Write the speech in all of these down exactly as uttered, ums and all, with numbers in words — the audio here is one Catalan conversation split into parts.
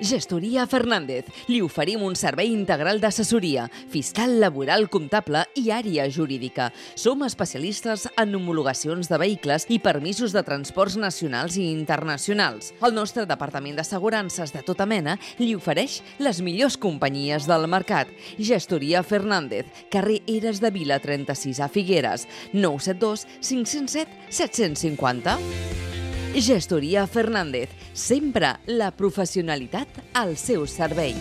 Gestoria Fernández. Li oferim un servei integral d'assessoria, fiscal, laboral, comptable i àrea jurídica. Som especialistes en homologacions de vehicles i permisos de transports nacionals i internacionals. El nostre departament d'assegurances de tota mena li ofereix les millors companyies del mercat. Gestoria Fernández, carrer Eres de Vila trenta-sis a Figueres, nou set dos cinc zero set set cinc zero. Gestoria Fernández, sempre la professionalitat al seu servei.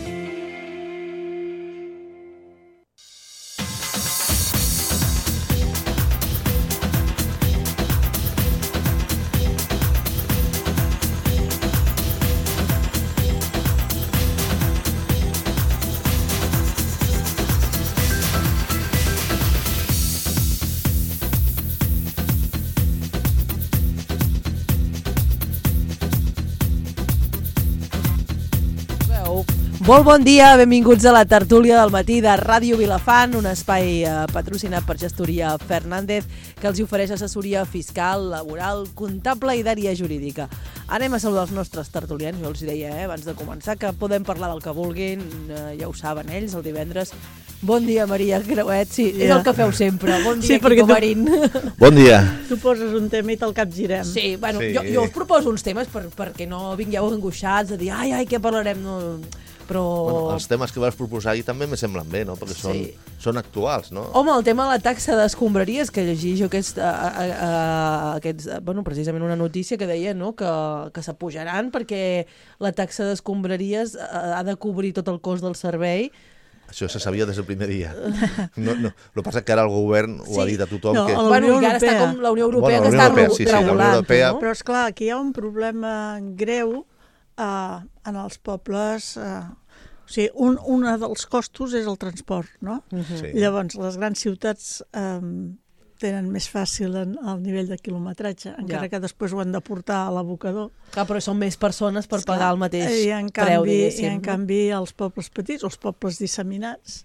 Molt bon dia, benvinguts a la tertúlia del matí de Ràdio Vilafant, un espai eh, patrocinat per Gestoria Fernández que els ofereix assessoria fiscal, laboral, comptable i d'àrea jurídica. Anem a saludar els nostres tertulians, jo els deia eh, abans de començar que podem parlar del que vulguin, eh, ja ho saben ells, el divendres. Bon dia, Maria Creuet, sí, yeah. És el que feu sempre. Bon dia, sí, Quico tu... Marín. Bon dia. Tu poses un tema i te'l capgirem. Sí, bueno, sí. Jo, jo us proposo uns temes per, perquè no vingueu angoixats a dir ai, ai, què parlarem, no... Però... Bueno, els temes que vas proposar ahir també me semblen bé, no? Perquè són, sí. són actuals, no? Home, el tema de la taxa d'escombraries, que llegís jo aquest, a, a, a, aquests, bueno, precisament una notícia que deia no? que, que s'apujaran perquè la taxa d'escombraries ha de cobrir tot el cost del servei. Això se sabia des del primer dia. No, no. El que passa és que ara el govern ho sí. ha dit a tothom. No, que... Bueno, i ara està com la Unió Europea bueno, que està Europea, sí, sí, regulant. Europea... No? Però esclar, aquí hi ha un problema greu Uh, en els pobles, uh, o sigui, un, un dels costos és el transport, no? Uh-huh. Sí. Llavors, les grans ciutats um, tenen més fàcil en, el nivell de quilometratge, encara ja. que després ho han de portar a l'abocador. Clar, però són més persones per Esclar, pagar el mateix i en canvi, preu, diguéssim. I en canvi, els pobles petits, els pobles disseminats,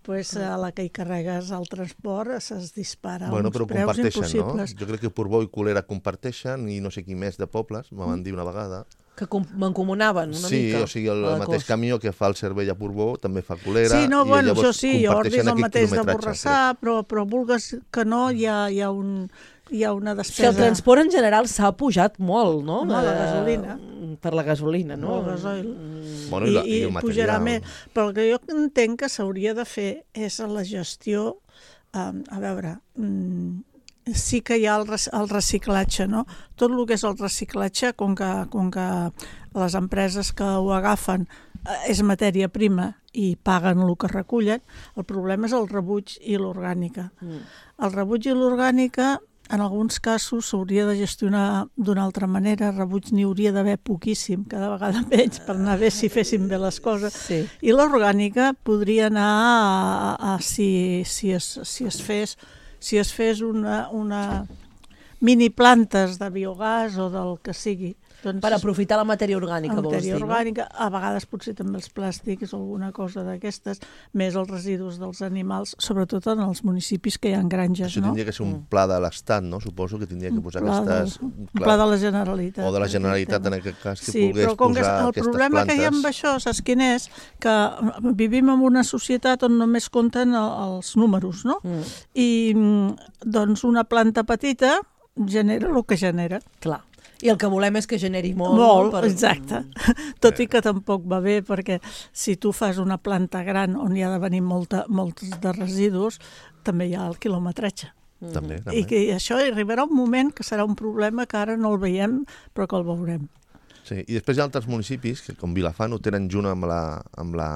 pues, a la que hi carregues el transport es dispara bueno, uns preus impossibles. No? Jo crec que Portbou i Colera comparteixen i no sé qui més de pobles, me van dir una vegada. Que mancomunaven una sí, mica. Sí, o sigui, el mateix camió que fa el servei a Portbou també fa Colera. Sí, no, i bueno, això sí, Ordis és el mateix de Borrassà, però, però vulgues que no, hi ha, hi ha, un, hi ha una despesa. Si el transport en general s'ha pujat molt, no? No, la gasolina. Per la gasolina, no? El gasoil. Bueno, i, la, I, i el i material. pujarà més. Però el que jo entenc que s'hauria de fer és la gestió, um, a veure... Um, sí que hi ha el, el reciclatge, no? Tot el que és el reciclatge, com que, com que les empreses que ho agafen és matèria prima i paguen el que recullen, el problema és el rebuig i l'orgànica. Mm. El rebuig i l'orgànica, en alguns casos, s'hauria de gestionar d'una altra manera, rebuig n'hi hauria d'haver poquíssim, cada vegada menys, per anar bé si fessin bé les coses. Sí. I l'orgànica podria anar a, a, a si, si, es, si es fes... si es fes una, una mini plantes de biogàs o del que sigui. Doncs, per aprofitar la matèria orgànica, la vols dir, no? Orgànica, a vegades potser també els plàstics o alguna cosa d'aquestes, més els residus dels animals, sobretot en els municipis que hi ha granges, Això no? tindria que ser un pla de l'Estat, no? Suposo que tindria que posar un aquestes... Del, un pla de la Generalitat. O de la Generalitat, en aquest cas, que sí, pogués posar aquestes plantes. El problema que hi ha amb això, saps quin és? Que vivim en una societat on només compten els números, no? Mm. I doncs una planta petita genera el que genera. Clar. I el que volem és que generi molt. Molt, per... exacte. Tot i que tampoc va bé, perquè si tu fas una planta gran on hi ha de venir molta, molts de residus, també hi ha el quilometratge. Mm. També, també. I que això arribarà un moment que serà un problema que ara no el veiem, però que el veurem. Sí, i després hi ha altres municipis que, com Vilafant, ho tenen junt amb, la, amb, la,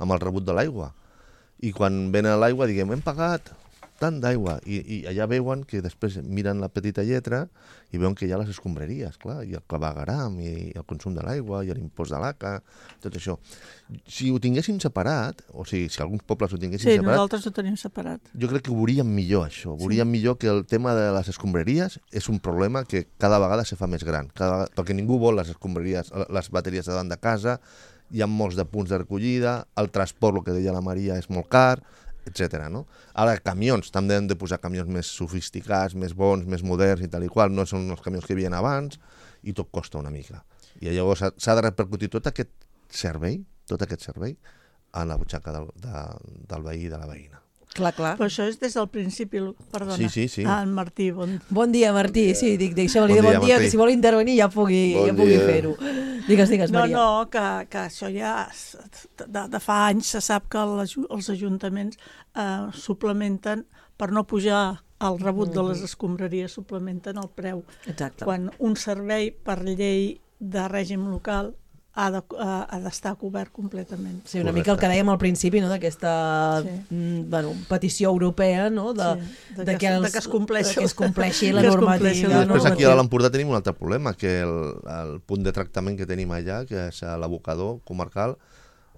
amb el rebut de l'aigua. I quan venen l'aigua, diguem, hem pagat tant d'aigua, I, i allà veuen que després miren la petita lletra i veuen que hi ha les escombraries, clar, i el clavegaram, i el consum de l'aigua, i l'impost de l'A C A, tot això. Si ho tinguéssim separat, o sigui, si alguns pobles ho tinguessin sí, separat... Sí, nosaltres ho tenim separat. Jo crec que veuríem millor això, veuríem sí. millor que el tema de les escombraries és un problema que cada vegada se fa més gran, cada vegada, perquè ningú vol les escombraries, les bateries davant de casa, hi ha molts de punts de recollida, el transport, el que deia la Maria, és molt car, etcètera. No? Ara, camions, també hem de posar camions més sofisticats, més bons, més moderns i tal i qual, no són els camions que hi havia abans, i tot costa una mica. I llavors s'ha de repercutir tot aquest servei, tot aquest servei, en la butxaca del, de, del veí i de la veïna. Clar, clar. Però això és des del principi, perdona. Sí, sí, sí. Ah, en Martí, bon... Bon dia, Martí. Sí, dic, deixa'm-li Bon dir bon dia, dia, Martí. que si vol intervenir ja pugui, Bon ja pugui dia. fer-ho. Digues, digues, No, Maria. no, que, que això ja de, de fa anys se sap que les, els ajuntaments eh, suplementen, per no pujar el rebut de les escombraries, suplementen el preu. Exacte. Quan un servei per llei de règim local ha de, ha, ha d'estar cobert completament. Sí, una Correcte. mica el que dèiem al principi, no?, d'aquesta Sí. mm, bueno, petició europea, no?, de, Sí, de de, que- que, els, de que es compleixi de que es compleixi que la es normativa. compleixi I la després aquí normativa. a l'Empordà tenim un altre problema, que el, el punt de tractament que tenim allà, que és l'abocador comarcal,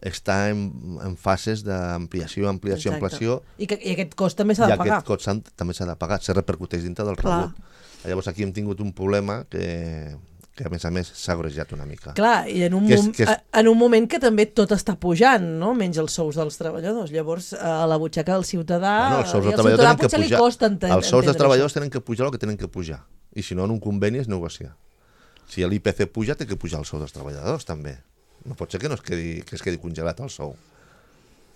està en, en fases d'ampliació, ampliació, Exacte. ampliació, I, que, I aquest cost també s'ha i de pagar. aquest cost s'han- també s'ha de pagar, se repercuteix dintre del Clar. rebut. Llavors aquí hem tingut un problema que, que a més a més s'ha agrejat una mica. Clar, i en un, Que és- mom que és- en un moment que també tot està pujant, no?, menys els sous dels treballadors. Llavors, a la butxaca del ciutadà... Bueno, els sous i dels al treballadors ciutadà tenen que potser li pujar. costa enten Els sous dels entendre treballadors tenen que pujar el que tenen que pujar. I si no, en un conveni es negocia. Si l'I P C puja, té que pujar el sou dels treballadors, també. No pot ser que no es quedi, que es quedi congelat el sou.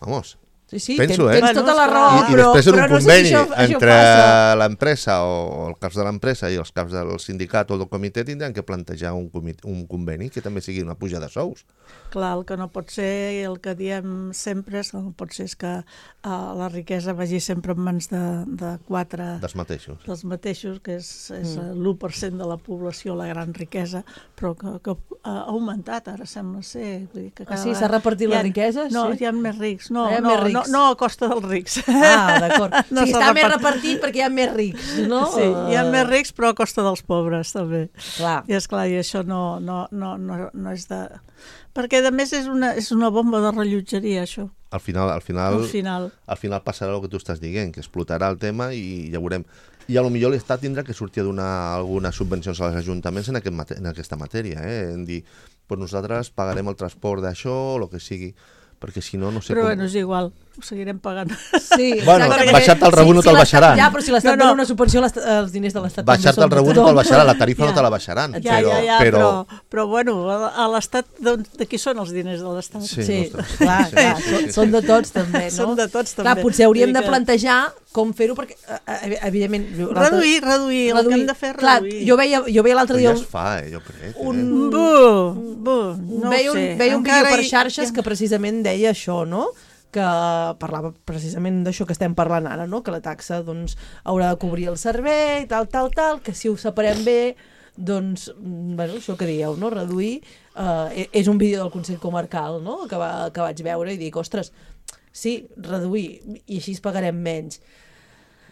Vamos. això. Sí, sí, Penso, tens, eh? tens tota Bueno, la és raó, I, I però, després en però un no sé si conveni això, això entre passa. l'empresa o els caps de l'empresa i els caps del sindicat o del comitè tindran que plantejar un, comitè, un conveni que també sigui una puja de sous. Clar, el que no pot ser, i el que diem sempre, és que no pot ser és que uh, la riquesa vagi sempre en mans de, de quatre... Dels mateixos. dels mateixos, que és, és mm. l'u per cent de la població, la gran riquesa, però que, que ha augmentat, ara sembla ser. Vull dir que Ah, cada sí? vegada S'ha repartit hi la ha- riquesa? No, Sí. hi ha més rics. No, Hi ha no, més rics. no, no a costa dels rics. Ah, d'acord. No o sigui, s'ha està més repartit. repartit perquè hi ha més rics, no? Sí, hi ha Eh, més rics, però a costa dels pobres, també. Clar. I esclar, i això no, no, no, no, no és de... Perquè, a més, és una, és una bomba de rellotgeria, això, Al final, al final, al final. al final passarà el que tu estàs dient, que explotarà el tema i ja veurem. I a lo millor l'Estat tindrà que sortir a donar algunes subvencions als ajuntaments en, aquest mate en aquesta matèria, eh? En dir, pues nosaltres pagarem el transport d'això o el que sigui, perquè si no, no sé Però com... bueno, és igual, ho seguirem pagant. Sí, Bueno, exacte, baixar-te el perquè rebut no si te'l l'Estat- baixaran. Ja, però si l'Estat No, no. dona una subvenció, l'Estat- els diners de l'Estat també Baixar-te són el rebut de no te'l tothom. baixaran, la tarifa Ja. no te la baixaran. Ja, però, ja, ja, però... però, però bueno, a, a l'Estat, d'on- de qui són els diners de l'Estat? Sí. Sí, ostres. clar, Sí, clar, sí, sí, són- sí. són de tots també, no? Són de tots, Clar, també. potser hauríem Vull de dir que- plantejar com fer-ho, perquè, eh, evidentment... l'altre- Reduir, reduir, el que hem de fer és Clar, reduir. jo veia, jo veia l'altre Però dia ja un, es fa, eh, jo crec. Eh? un, Bu, bu, no veia ho un, sé. veia un vídeo Encara per hi- xarxes hi- que precisament deia això, no?, que parlava precisament d'això que estem parlant ara, no?, que la taxa doncs, haurà de cobrir el servei, tal, tal, tal, que si ho separem bé, doncs, mm, bueno, això que dieu, no?, reduir, eh, és un vídeo del Consell Comarcal, no?, que, va, que vaig veure i dic, ostres, sí, reduir, i així es pagarem menys.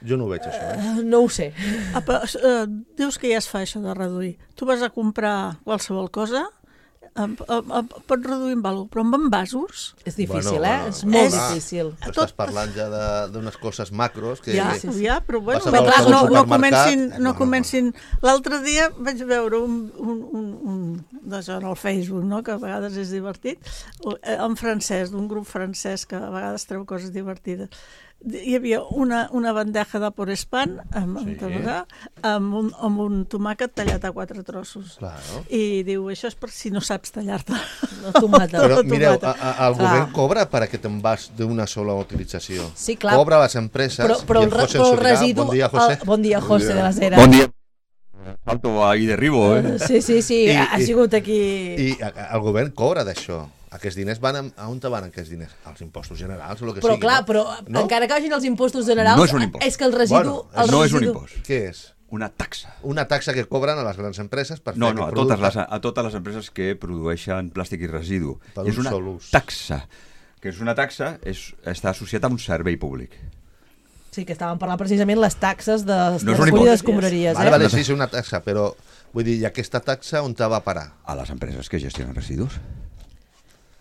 Jo no ho veig, això. Eh? Uh, no ho sé. Ah, però, eh, dius que ja es fa això de reduir. Tu vas a comprar qualsevol cosa, em, em, em, pots reduir amb alguna cosa, però amb envasos... És difícil, Bueno, eh? bueno, És molt és- difícil. Tu Tot- estàs parlant ja de- d'unes coses macros que... Ja, sí, sí. ja, però bueno, Vas a veure clar, el no, no supermercat, comencin... no, No no, comencin... L'altre dia vaig veure un, un, un, un d'això en el Facebook, no?, que a vegades és divertit, eh, en francès, d'un grup francès que a vegades treu coses divertides. Hi havia una, una bandeja de porespán amb, Sí. sí. amb, un, amb un tomàquet tallat a quatre trossos. Claro. I diu, això és per si no saps tallar-te. La tomata. Però Tota mireu, tomata. a, a, el Clar. govern cobra per aquest envàs d'una sola utilització. Sí, clar. Cobra a les empreses. Però, però, i el, el re- José però el Sobirà, residu... Bon dia, José. El, bon dia, José, de les Heras. Bon dia. Salto ahí derribo, eh? Sí, sí, sí, I- ha i- sigut aquí... I a- a- el govern cobra d'això. Aquests diners van a, a on te van aquests diners? Als impostos generals o el que Però sigui. clar, no? però No? encara que vagin els impostos generals... No és un impost. És que el residu... Bueno, el No és un residu- impost, Què és? una taxa. Una taxa que cobren a les grans empreses per No, fer no, a aquest totes, producte. les, a totes les empreses que produeixen plàstic i residu. Per I és un una sol ús. taxa, que és una taxa, és, està associat a un servei públic. Sí, que estàvem parlant precisament les taxes de, No de és un recollida impost. d'escombraries, Vale, eh? vale, sí, és una taxa, però vull dir, i aquesta taxa on te va parar? A les empreses que gestionen residus.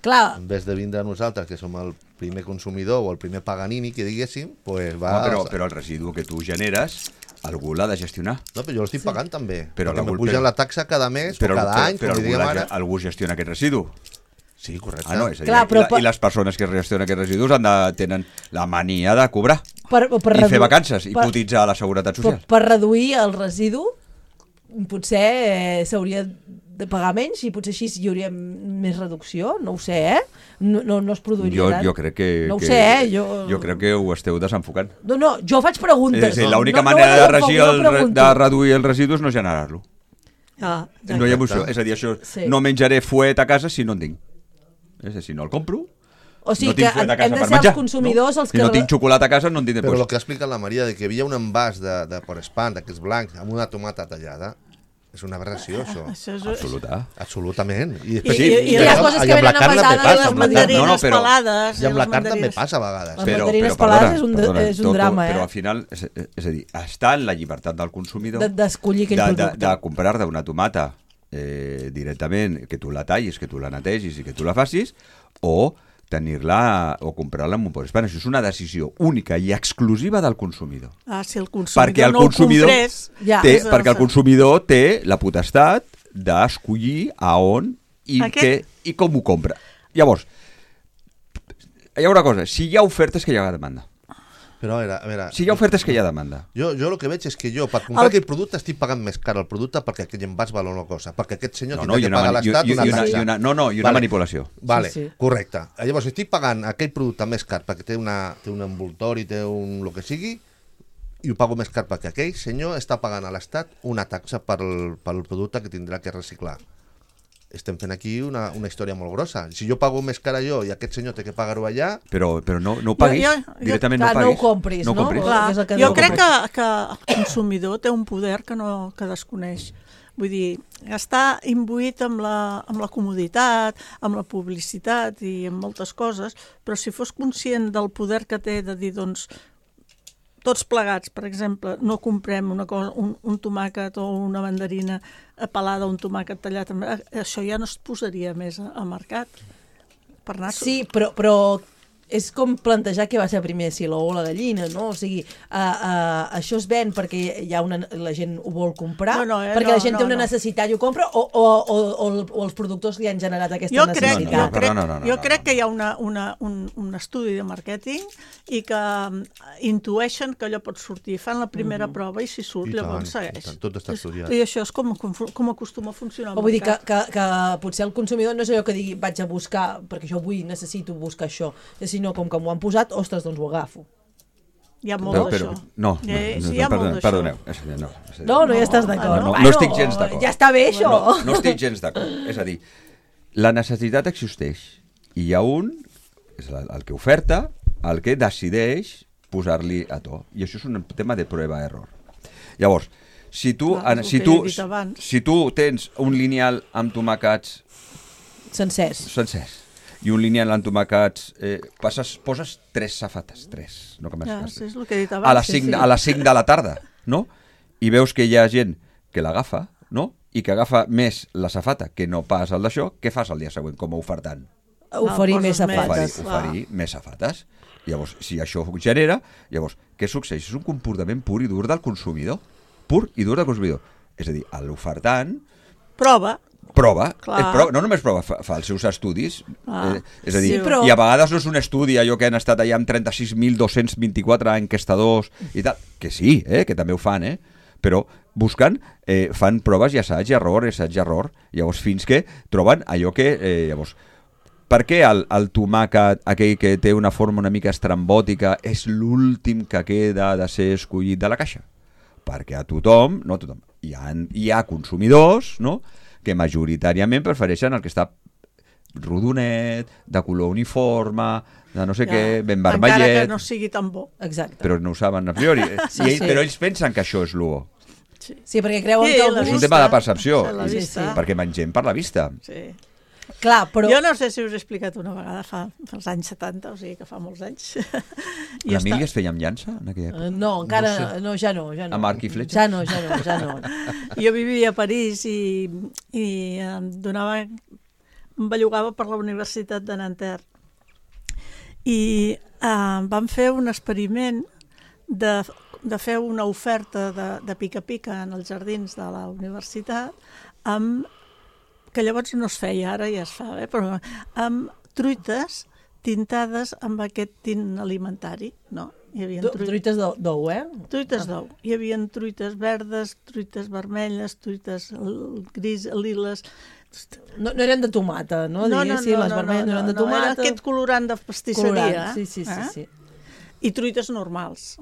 Clar, En vez de vindre a nosaltres, que som el primer consumidor o el primer paganini, que diguéssim, pues va... Home, però, però el residu que tu generes, algú l'ha de gestionar. No, però jo l'estic sí. pagant també. Però Però perquè algú- me pugen però- la taxa cada mes Però, o cada però, any, però com li algú, diguem la, ara. algú gestiona aquest residu. Sí, correcte. Ah, no, és a dir, Clar, però i, la, per- i les persones que gestionen aquests residus han de, tenen la mania de cobrar per, per i redu- fer vacances i per, cotitzar a la Seguretat per, Social. per reduir el residu potser eh, s'hauria de pagar menys i potser així hi hauria més reducció, no ho sé, eh? No, no, no es produiria Jo, tant. jo crec que... No ho que, sé, eh? Jo... jo crec que ho esteu desenfocant. No, no, jo faig preguntes. És a dir, l'única no, manera no, de, no, regir no, el, no re- pregunto. de reduir els residus no generar-lo. Ah, No hi ha emoció. És a dir, això, Sí. no menjaré fuet a casa si no en tinc. És a dir, si no el compro, O sigui no tinc que fuet a hem casa de per ser menjar. els consumidors no? els Si que... no tinc xocolata a casa, no en tinc Però el després. que ha explicat la Maria, de que hi havia un envàs de, de Porespan, d'aquests blancs, amb una tomata tallada, és una aberració, això. Això és... Absoluta. Absolutament. I- I, després, i- i i, hi ha coses que i amb la venen carn també envasades passa. i Amb les la carn, No, no, mandarines però- pelades. I amb la les carn també mandarines- passa a vegades. Les mandarines pelades és un- és un drama, eh? Però al final, és, és a dir, està en la llibertat del consumidor de- d'escollir aquell de, de, producte. de comprar-te una tomata eh, directament, que tu la tallis, que tu la netegis i que tu la facis, o tenir-la o comprar-la amb un Porespan. Això és una decisió única i exclusiva del consumidor. Ah, si el consumidor Perquè el no consumidor, ho comprés... Ja. té, és el- perquè el consumidor té la potestat d'escollir a on i, Aquest- què, i com ho compra. Llavors, hi ha una cosa, si hi ha ofertes que hi ha demanda. Però a veure, a veure... Si hi ha ofertes que hi ha demanda. Jo, jo el que veig és que jo, per comprar El- aquell producte, estic pagant més car el producte perquè aquell envàs val una cosa, perquè aquest senyor No, no, tindrà i que una, pagar a mani- i, l'Estat i, una i una, taxa. i una, no, no, i una Vale. manipulació. Vale, Sí, sí. correcte. Llavors estic pagant aquell producte més car perquè té, una, té un envoltori, té un el que sigui, i ho pago més car perquè aquell senyor està pagant a l'Estat una taxa pel, pel producte que tindrà que reciclar. Estem fent aquí una, una història molt grossa. Si jo pago més cara jo i aquest senyor té que pagar-ho allà, Però, però no, no ho paguis, Jo- jo- directament clar, no no paguis. ho compris, no? compris. Clar, És el que jo no crec compris. que, que el consumidor té un poder que, no, que desconeix. Vull dir, està imbuït amb la, amb la comoditat, amb la publicitat i amb moltes coses, però si fos conscient del poder que té de dir, doncs, tots plegats, per exemple, no comprem una cosa, un, un tomàquet o una mandarina pelada, un tomàquet tallat, això ja no es posaria més al mercat. Per anar... Sí, però, però és com plantejar què va ser primer, si l'ou o la gallina, no? O sigui, uh, uh, això es ven perquè hi ha una, la gent ho vol comprar, No, no, eh, perquè no, la gent no, té una no. necessitat i ho compra, o, o, o, o, o els productors li han generat aquesta Jo crec, necessitat? No, jo no, crec, no, no, no, jo no, crec no. que hi ha una, una, un, un estudi de màrqueting i que um, intueixen que allò pot sortir. Fan la primera prova i si surt, I tant, llavors i segueix. tant, tot està estudiat. I això és com, com, com acostuma a funcionar el O vull dir que, mercat. que, que potser el consumidor no és allò que digui vaig a buscar, perquè jo vull, necessito buscar això, sinó com que m'ho han posat, ostres, doncs ho agafo. Hi ha molt Però, d'això. però, no, no, Eh, no, sí, hi ha no, molt perdone, d'això. perdoneu. És a dir, no, és a dir, No, no hi estàs d'acord. no, no Bueno, estic gens d'acord. Ja està bé, això. No, no estic gens d'acord. És a dir, la necessitat existeix i hi ha un, és el, el que oferta, el que decideix posar-li a to. I això és un tema de prova-error. Llavors, si tu, Clar, en, és el si, que tu, he dit abans. si tu tens un lineal amb tomàquets Sencers. sencers i un lineal amb tomàquets, eh, passes, poses tres safates, tres, no que Ja, m'has sí, és el que he dit a abans. les sí, cinc, sí. a les cinc de la tarda, no? I veus que hi ha gent que l'agafa, no? I que agafa més la safata que no pas el d'això, què fas el dia següent com a ofertant? Oferir Ah, més poses més. Oferir, safates. clar. oferir més safates. Llavors, si això ho genera, llavors, què succeeix? És un comportament pur i dur del consumidor. Pur i dur del consumidor. És a dir, l'ofertant Prova. prova, Clar. eh, prova, no només prova, fa, fa els seus estudis, Ah, eh, és a dir, sí, però- i a vegades no és un estudi allò que han estat allà amb trenta-sis mil dos-cents vint-i-quatre enquestadors i tal, que sí, eh, que també ho fan, eh, però busquen, eh, fan proves i assaig i error, assaig i error, llavors fins que troben allò que, eh, llavors, per què el, el tomàquet, aquell que té una forma una mica estrambòtica, és l'últim que queda de ser escollit de la caixa? Perquè a tothom, no a tothom, hi ha, hi ha consumidors, no?, que majoritàriament prefereixen el que està rodonet, de color uniforme, de no sé Ja, què, ben Encara que vermellet, no sigui tan bo. Exacte. però no ho saben a priori. Sí, I ell, sí. Però ells pensen que això és l'u. Sí. Sí, perquè creuen Sí, que el la És un gust... tema de percepció, Sí, la i- vista. perquè mengem per la vista. Sí. Clar, però... Jo no sé si us he explicat una vegada, fa, fa els anys setanta, o sigui que fa molts anys. I L'Emília està- es feia amb llança en aquella època? Eh, No, encara... No, ja no, ja no. Amb arc i fletxa? Ja no, ja no, ja no. Jo vivia a París i, i em donava, em bellugava per la Universitat de Nanterre. I eh, vam fer un experiment de, de fer una oferta de, de pica-pica en els jardins de la universitat, amb, que llavors no es feia, ara ja es fa, eh, però amb truites tintades amb aquest tint alimentari, no? Hi havia Do- Truites d'ou, d'ou, eh? Truites d'ou. Hi havia truites verdes, truites vermelles, truites l- gris, liles... No, no eren de tomata, no? No, no, Diguéssim, no, les no, vermelles no, no, eren de no, era tomata. aquest colorant de pastisseria. Colorant, sí, sí, sí, eh? sí. I truites normals.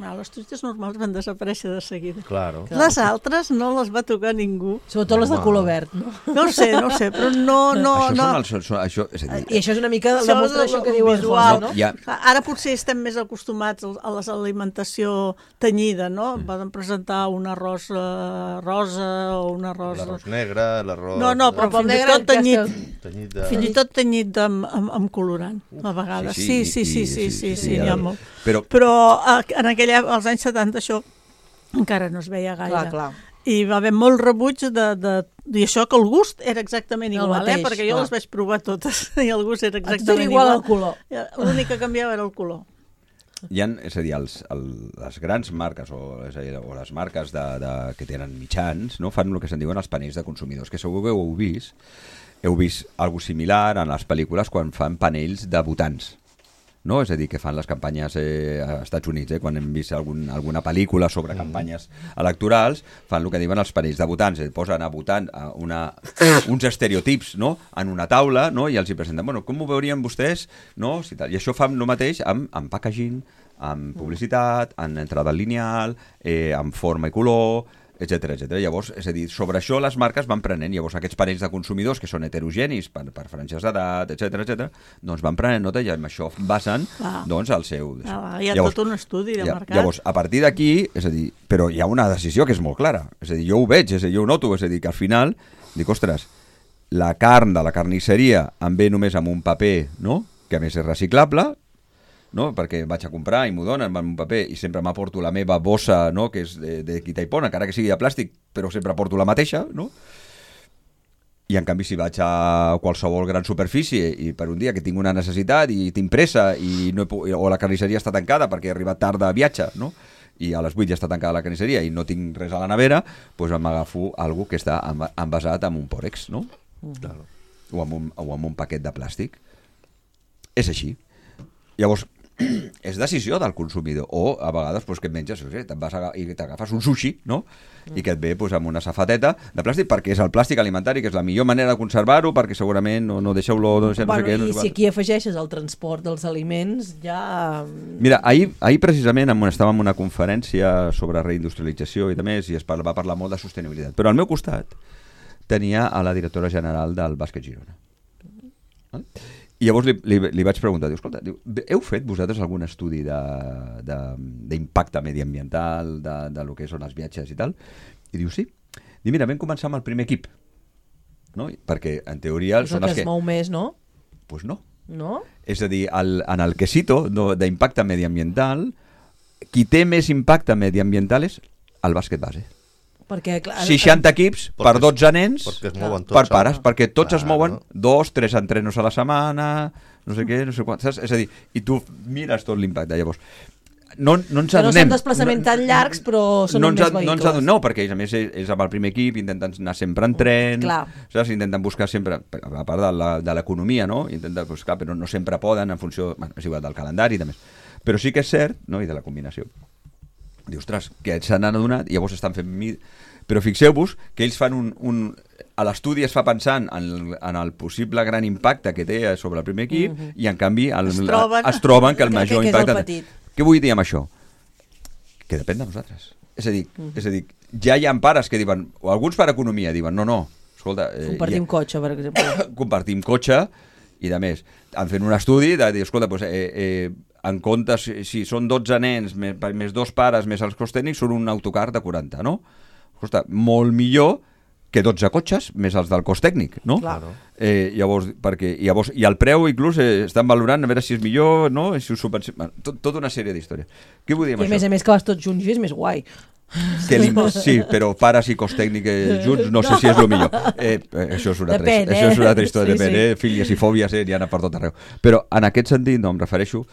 Ah, les truites normals van desaparèixer de seguida. Claro. Les altres no les va tocar ningú. Sobretot les de Home. color verd, no? No ho sé, no ho sé, però no... no, això no. són els... Són, això, és a dir, I això és una mica Això demostra és això el que diu el visual. José, no? Ja. Ara potser estem més acostumats a les alimentació tenyida, no? Mm. Poden presentar un arròs eh, rosa o un arròs... L'arròs negre, l'arròs... No, no, però L'arròs fins i negre tot ja tenyit, està- Tenyit de... fins i tot tenyit de, amb, amb colorant, a vegades. Sí, sí, sí, sí, sí, sí, n'hi ha molt. Però, Però eh, en aquella, als anys setanta això encara no es veia gaire. Clar, clar. I va haver molt rebuig de, de, i això que el gust era exactament El igual, mateix, eh? Perquè jo clar. les vaig provar totes i el gust era A tot era exactament igual igual. el color. L'únic que canviava era el color. hi ha, és a dir, els, el, les grans marques o, és a dir, o les marques de, de, que tenen mitjans no, fan el que se'n diuen els panells de consumidors, que segur que ho heu vist. Heu vist alguna similar en les pel·lícules quan fan panells de votants. No? És a dir, que fan les campanyes eh, als Estats Units, eh? Quan hem vist algun, alguna pel·lícula sobre campanyes electorals, fan el que diuen els panells de votants, eh? Posen a votant a una, uns estereotips, no? En una taula, no? I els hi presenten, bueno, com ho veurien vostès? No? Si tal. I això fan el mateix amb, amb packaging, amb publicitat, en entrada lineal, eh, amb forma i color, etcètera, etcètera. Llavors, és a dir, sobre això les marques van prenent, llavors aquests panells de consumidors que són heterogenis per, per franges d'edat, etcètera, etcètera, doncs van prenent nota i amb això basen, Ah. doncs, el seu... Ah, hi ha llavors, tot un estudi de ja, mercat. Llavors, a partir d'aquí, és a dir, però hi ha una decisió que és molt clara, és a dir, jo ho veig, és a dir, jo ho noto, és a dir, que al final, dic, ostres, la carn de la carnisseria em ve només amb un paper, no?, que a més és reciclable, no? Perquè vaig a comprar i m'ho donen amb un paper i sempre m'aporto la meva bossa, no? Que és de, de quitaipona, encara que sigui de plàstic, però sempre porto la mateixa, no? I en canvi si vaig a qualsevol gran superfície i per un dia que tinc una necessitat i tinc pressa i no he, pu- o la carnisseria està tancada perquè he arribat tard de viatge, no? I a les vuit ja està tancada la carnisseria i no tinc res a la nevera, doncs m'agafo algo que està enva- envasat amb un pòrex, no? Claro. O amb un, o amb un paquet de plàstic. És així. Llavors, és decisió del consumidor. O, a vegades, doncs, que et menges, no sé, te'n vas a, i t'agafes un sushi, no? I que et ve doncs, amb una safateta de plàstic, perquè és el plàstic alimentari, que és la millor manera de conservar-ho, perquè segurament no, no deixa olor, no sé, no Bueno, sé què. No i sé si quant. aquí afegeixes el transport dels aliments, ja... Mira, ahir, ahir precisament en una, estàvem en una conferència sobre reindustrialització i també, i es parla, va parlar molt de sostenibilitat. Però al meu costat tenia a la directora general del Bàsquet Girona. Val? I llavors li, li, li vaig preguntar, diu, escolta, diu, heu fet vosaltres algun estudi d'impacte mediambiental, de, de lo que són els viatges i tal? I diu, sí. Diu, mira, vam començar amb el primer equip. No? Perquè, en teoria, És el són que els es que... mou més, no? Pues no. No? És a dir, el, en el quesito no, d'impacte mediambiental, qui té més impacte mediambiental és el bàsquet base. Perquè, clar... seixanta equips Perquè per es- dotze nens, Perquè es mouen tots. per pares, home. perquè tots es Claro. mouen dos, tres entrenos a la setmana, no sé què, no sé quant, saps? És a dir, i tu mires tot l'impacte, llavors. No, no ens Que no adonem... són desplaçaments tan llargs, però són no amb ens, més ad- no ens vehicles. adonem, no, perquè a més és, és amb el primer equip, intenten anar sempre en tren, Clar. saps? Intenten buscar sempre, a part de la- de l'economia, no? Intenten buscar, però no sempre poden en funció, bueno, és igual, del calendari i de més. Però sí que és cert, no? I de la combinació. Dius, ostres, que se n'han adonat i llavors estan fent... Mi... Però fixeu-vos que ells fan un... un... A l'estudi es fa pensant en el, en el possible gran impacte que té sobre el primer equip mm-hmm. i en canvi el, Es troben- es troben que el que- major que és el impacte... petit. Què vull dir amb això? Que depèn de nosaltres. És a dir, mm-hmm. és a dir ja hi ha pares que diuen, o alguns per economia diuen, no, no, escolta... Eh, Compartim ja, cotxe, per exemple. compartim cotxe i de més. Han fet un estudi de dir, escolta, doncs, eh, eh, en compte, si, si són dotze nens, més, més dos pares, més els cost tècnics, són un autocar de quaranta, no? Costa molt millor que dotze cotxes, més els del cost tècnic, no? Claro. Eh, llavors, perquè, llavors, i el preu inclús eh, estan valorant a veure si és millor, no? Si us subvenci... bueno, tot, tota una sèrie d'històries. Què vull dir amb I a més això? a més que vas tots junts i és més guai. Que sí, però pares i cost tècnic eh, junts no sé si és el millor. Eh, eh, això és una altra, Depèn, això és una altra eh? història, Sí, depèn, sí. eh? Fílies i fòbies eh? N'hi ha per tot arreu. Però en aquest sentit, no, em refereixo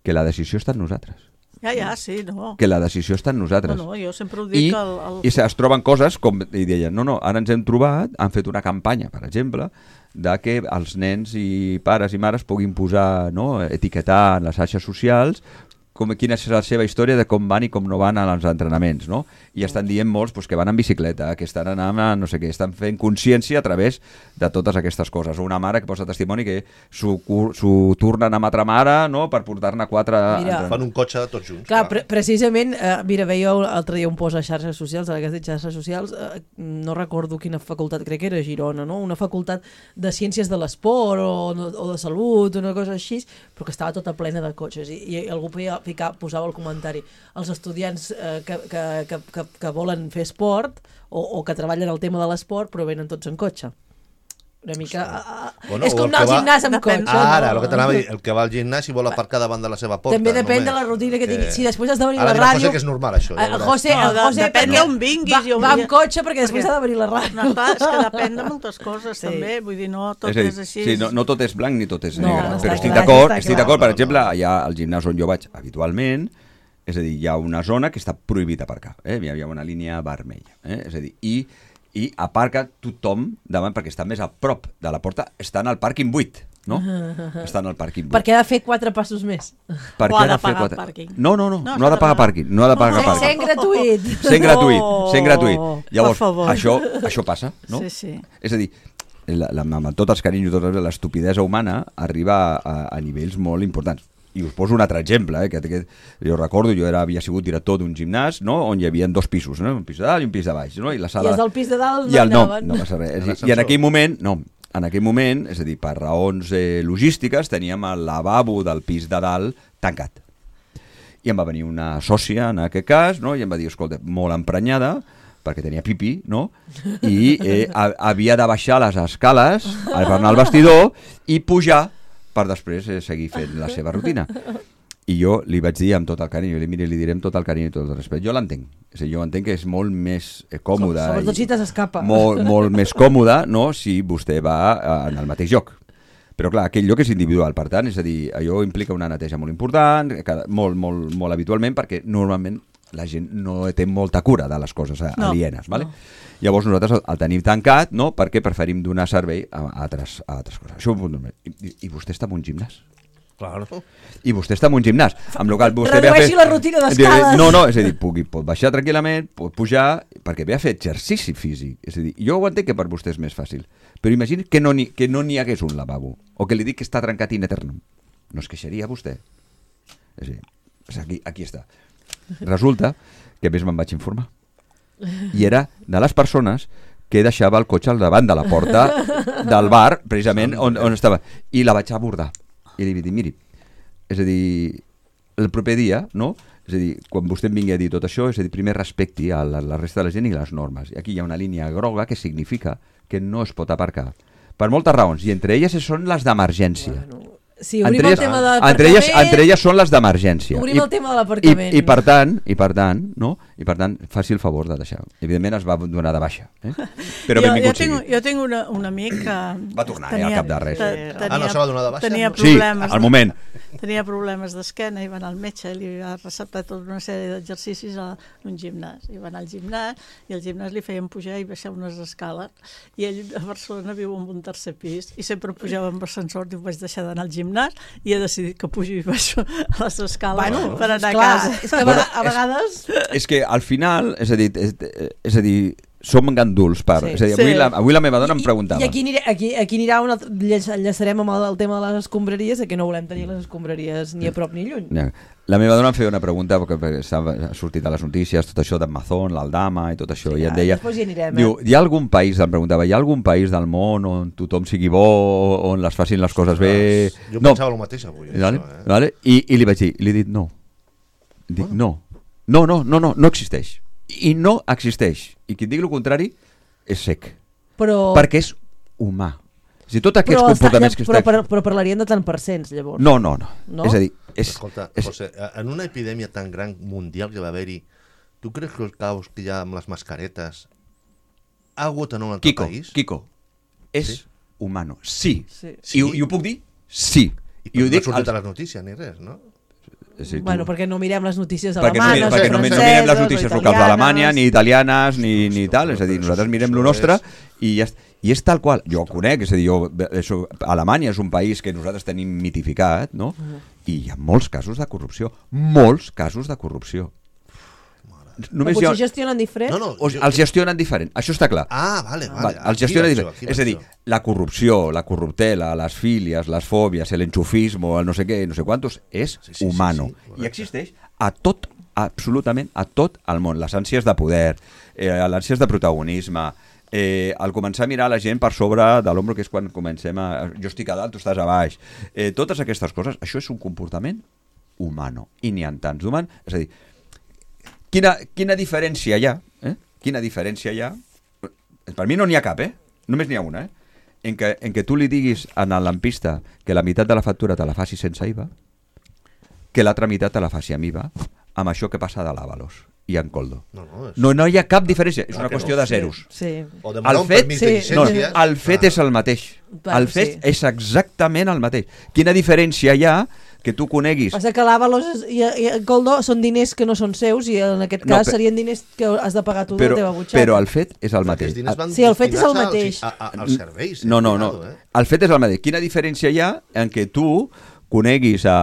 que la decisió està en nosaltres. Ja, ja, sí, no. Que la decisió està en No, nosaltres. no, jo sempre ho dic I, que el... el... i se- es troben coses com, i deien, no, no, ara ens hem trobat, han fet una campanya, per exemple, de que els nens i pares i mares puguin posar, no, etiquetar en les xarxes socials com, quina és la seva història de com van i com no van als entrenaments, no? I estan dient molts pues, que van en bicicleta, que estan anant a no sé què, estan fent consciència a través de totes aquestes coses. Una mare que posa testimoni que s'ho tornen amb altra mare, no?, per portar-ne quatre... Mira, fan un cotxe tots junts. Clar, pre precisament, eh, mira, veia l'altre dia un post a xarxes socials, ara que has dit xarxes socials, eh, no recordo quina facultat, crec que era Girona, no? Una facultat de ciències de l'esport o, o de salut, una cosa així, però que estava tota plena de cotxes. I, i algú podia ficar, posava el comentari, els estudiants eh, que, que, que, que, que volen fer esport o, o que treballen el tema de l'esport però venen tots en cotxe. Una mica... Sí. Bueno, és com anar al gimnàs amb cotxe. Ara, no? el que t'anava a dir, el que va al gimnàs i vol aparcar davant de la seva porta. També depèn només. de la rutina que tingui. Si després has de venir a la ràdio... Ara José, que és normal, això. Ja el José, no, el José depèn d'on vinguis. Va, va amb cotxe perquè després perquè... ha de venir a la ràdio. No, clar, és que depèn de moltes coses, sí. també. Vull dir, no tot és, dir, és així. Sí, no, no tot és blanc ni tot és no, negre. no, però estic clar, d'acord, estic d'acord. Per exemple, allà al gimnàs on jo vaig habitualment, és a dir, hi ha una zona que està prohibida aparcar. Eh? Hi ha una línia vermella. Eh? És a dir, i i aparca tothom davant perquè està més a prop de la porta, està en el pàrquing buit, no? Està en el pàrquing buit. Perquè ha de fer quatre passos més. Perquè o ha de, de fer pagar quatre... pàrquing. No, no, no, no, no ha de pagar pàrquing. No ha de pagar oh, pàrquing. Sent gratuït. Sent gratuït, sent gratuït. Llavors, això, això passa, no? Sí, sí. És a dir, la, la, amb tots els carinyos, tota l'estupidesa humana arriba a, a nivells molt importants. I us poso un altre exemple, eh, que, que jo recordo, jo era, havia sigut director d'un gimnàs, no?, on hi havia dos pisos, no?, un pis de dalt i un pis de baix, no? I, la sala... I els del pis de dalt no I el, anaven. No, no passa res. I, I en aquell moment, no, en aquell moment, és a dir, per raons eh, logístiques, teníem el lavabo del pis de dalt tancat. I em va venir una sòcia, en aquest cas, no?, i em va dir, escolta, molt emprenyada, perquè tenia pipi, no?, i eh, a, havia de baixar les escales, per anar al vestidor, i pujar per després eh, seguir fent la seva rutina. I jo li vaig dir amb tot el carinyo, li, mire, li direm tot el carinyo i tot el respecte. Jo l'entenc. És a dir, jo entenc que és molt més eh, còmode. Sobretot si t'escapa. Molt, molt més còmode, no?, si vostè va eh, en el mateix lloc. Però clar, aquell lloc és individual, per tant, és a dir, allò implica una neteja molt important, cada, molt, molt, molt habitualment, perquè normalment la gent no té molta cura de les coses alienes, no, vale? No. Llavors nosaltres el tenim tancat, no?, perquè preferim donar servei a altres, a altres coses. Això, i, I vostè està en un gimnàs? Claro. I vostè està en un gimnàs. Amb lo qual vostè redueixi fer... la rutina d'escales. No, no, és a dir, pugui, pot baixar tranquil·lament, pot pujar, perquè ve a fer exercici físic. És a dir, jo ho entenc que per vostè és més fàcil, però imagini que no n'hi que no n'hi hagués un lavabo, o que li dic que està trencat in eternum. No es queixaria vostè? És a dir, aquí, aquí està. Resulta que més me'n vaig informar. I era de les persones que deixava el cotxe al davant de la porta del bar, precisament on, on estava. I la vaig abordar. I li vaig dir, miri, és a dir, el proper dia, no?, és a dir, quan vostè em vingui a dir tot això, és a dir, primer respecti a la, la resta de la gent i les normes. I aquí hi ha una línia groga que significa que no es pot aparcar. Per moltes raons, i entre elles són les d'emergència. Bueno. Sí, obrim entre el tema de l'aparcament. Entre elles, entre elles són les d'emergència. Obrim I, el tema de l'aparcament. I, i, per tant, i per tant, no? I per tant, faci el favor de deixar. Evidentment es va donar de baixa. Eh? Però jo, benvingut jo tinc, sigui. Jo tinc una, un amic que... Va tornar, tenia, eh, al cap de res. Tenia, ah, no se va donar de baixa? Tenia Sí, problemes al moment. Tenia problemes d'esquena i va anar al metge i li va receptar tota una sèrie d'exercicis a un gimnàs. I va anar al gimnàs i al gimnàs li feien pujar i baixar unes escales. I ell a Barcelona viu en un tercer pis i sempre pujava amb ascensor i ho vaig deixar d'anar al gimnàs i he decidit que pujo i baixo a les escales bueno, per anar clar, a casa. És que bueno, a vegades... És, és que al final, és a dir, és, és a dir som ganduls per... Sí. És a dir, avui, Sí. la, avui la meva dona I, em preguntava... I aquí, aniré, aquí, aquí anirà un altre, enllaçarem amb el, el tema de les escombraries, que no volem tenir les escombraries ni a prop ni lluny. Ja. La meva dona em feia una pregunta, perquè ha sortit a les notícies, tot això d'Amazon, l'Aldama i tot això, Sí, i em deia... després hi anirem, diu, eh? hi ha algun país, em preguntava, hi ha algun país del món on tothom sigui bo, on les facin les coses bé... Jo no. pensava el mateix avui, Vale? això, eh? Vale? I, I li vaig dir, li he dit no. Dic, no. No, no, no, no, no existeix. I no existeix. I qui et digui el contrari és sec. Però... Perquè és humà. O sigui, tots aquests però, comportaments està, que però, estem... però, però parlaríem de tant percents, llavors. No, no, no, no. És a dir... És, Escolta, és... José, en una epidèmia tan gran mundial que va haver-hi, tu creus que el caos que hi ha amb les mascaretes ha hagut en un altre Kiko, país? Kiko, és Sí? humano. Sí. Sí. I, ho- I ho puc dir? Sí. I, I ho no dic ha sortit als- a les notícies ni res, no? Si bueno, tu... perquè no mirem les notícies perquè alemanes, no, perquè no, no mirem les notícies locals d'Alemanya, ni italianes, ni, ni tal, és a dir, nosaltres mirem lo nostre i ja i és tal qual, jo ho conec, és a dir, jo, això, Alemanya és un país que nosaltres tenim mitificat, no? I hi ha molts casos de corrupció, molts casos de corrupció. Només potser jo... gestionen diferent? No, no, o, jo... Els gestionen diferent, això està clar. Ah, vale, vale. vale els gestionen diferent. És a dir, la corrupció, la corruptela, les fílies, les fòbies, l'enxufismo, el no sé què, no sé quantos, és sí, sí, humano. Sí, sí, I existeix a tot, absolutament a tot el món. Les ànsies de poder, eh, les ànsies de protagonisme, eh, al començar a mirar la gent per sobre de l'ombro, que és quan comencem a... Jo estic a dalt, tu estàs a baix. Eh, totes aquestes coses, això és un comportament humano. I n'hi ha tants d'humans. És a dir, Quina, quina diferència hi ha? Eh? Quina diferència hi ha? Per mi no n'hi ha cap, eh? Només n'hi ha una, eh? En què, en què tu li diguis al lampista que la meitat de la factura te la faci sense I V A, que l'altra meitat te la faci amb I V A, amb això que passa de l'Avalos i en Coldo. No, no, és... no, no hi ha cap diferència, és una qüestió no. de zeros. Sí. O de el fet, sí. no, el fet ah. és el mateix. El fet sí. és exactament el mateix. Quina diferència hi ha que tu coneguis... Passa que l'Avalos i, i el Coldo són diners que no són seus i en aquest cas no, per... serien diners que has de pagar tu però, de la teva butxaca. Però el fet és el mateix. Sí, el fet és el mateix. A, a, als serveis. No, no, no. Eh? El fet és el mateix. Quina diferència hi ha en què tu coneguis a,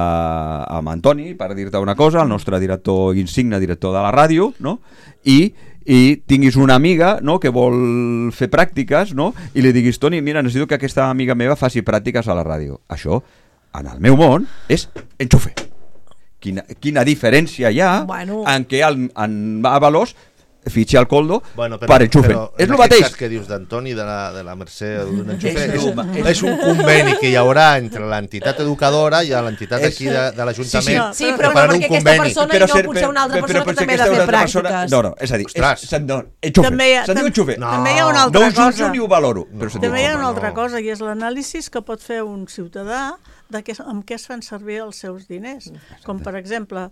a Antoni, per dir-te una cosa, el nostre director insigne, director de la ràdio, no? I i tinguis una amiga, no?, que vol fer pràctiques, no?, i li diguis, Toni, mira, necessito que aquesta amiga meva faci pràctiques a la ràdio. Això, en el meu món, és enxufe. Quina, quina diferència hi ha bueno. en què el, en Avalos fitxi al Coldo bueno, però, per enxufe. Però és el mateix. Cas que dius d'Antoni, de la, de la Mercè o d'un enxufe, és, és, és un conveni que hi haurà entre l'entitat educadora i l'entitat aquí de, de l'Ajuntament. Sí, sí, sí però, però perquè aquesta persona però, i no potser una altra persona que també ha de fer pràctiques. Persona, no, no, és a dir, és, se'n no, enxufe. També hi ha, se'n diu enxufe. No, també hi ha una altra no cosa. No ho jutjo ni ho valoro. No, però també hi ha una altra no. cosa, i és l'anàlisi que pot fer un ciutadà de què, amb què es fan servir els seus diners. Com, per exemple,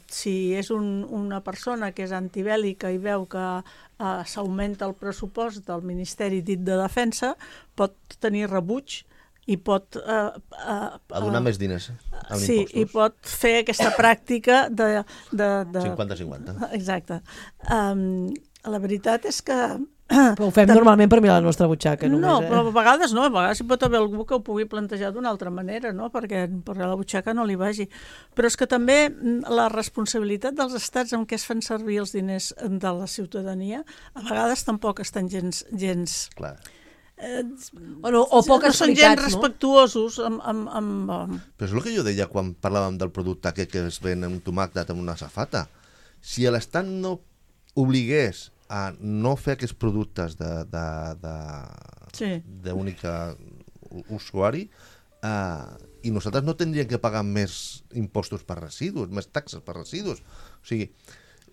si és un, una persona que és antibèl·lica i veu que eh, s'augmenta el pressupost del Ministeri dit de Defensa, pot tenir rebuig i pot... Eh, eh, a donar eh, més diners amb sí, impostos. I pot fer aquesta pràctica de... de, de cinquanta cinquanta. Exacte. Um, la veritat és que... Però ho fem Tam... normalment per mirar la nostra butxaca. Només, no, eh? però a vegades no, a vegades hi pot haver algú que ho pugui plantejar d'una altra manera, no? perquè, perquè la butxaca no li vagi. Però és que també la responsabilitat dels estats en què es fan servir els diners de la ciutadania a vegades tampoc estan gens... gens... Clar. Eh, bueno, o poc no són gens respectuosos amb, amb, amb, amb... Però és el que jo deia quan parlàvem del producte aquest que es ven un tomàquet amb una safata. Si l'estat no obligués a no fer aquests productes de, de, de, sí. d'única usuari eh, i nosaltres no tindríem que pagar més impostos per residus, més taxes per residus. O sigui,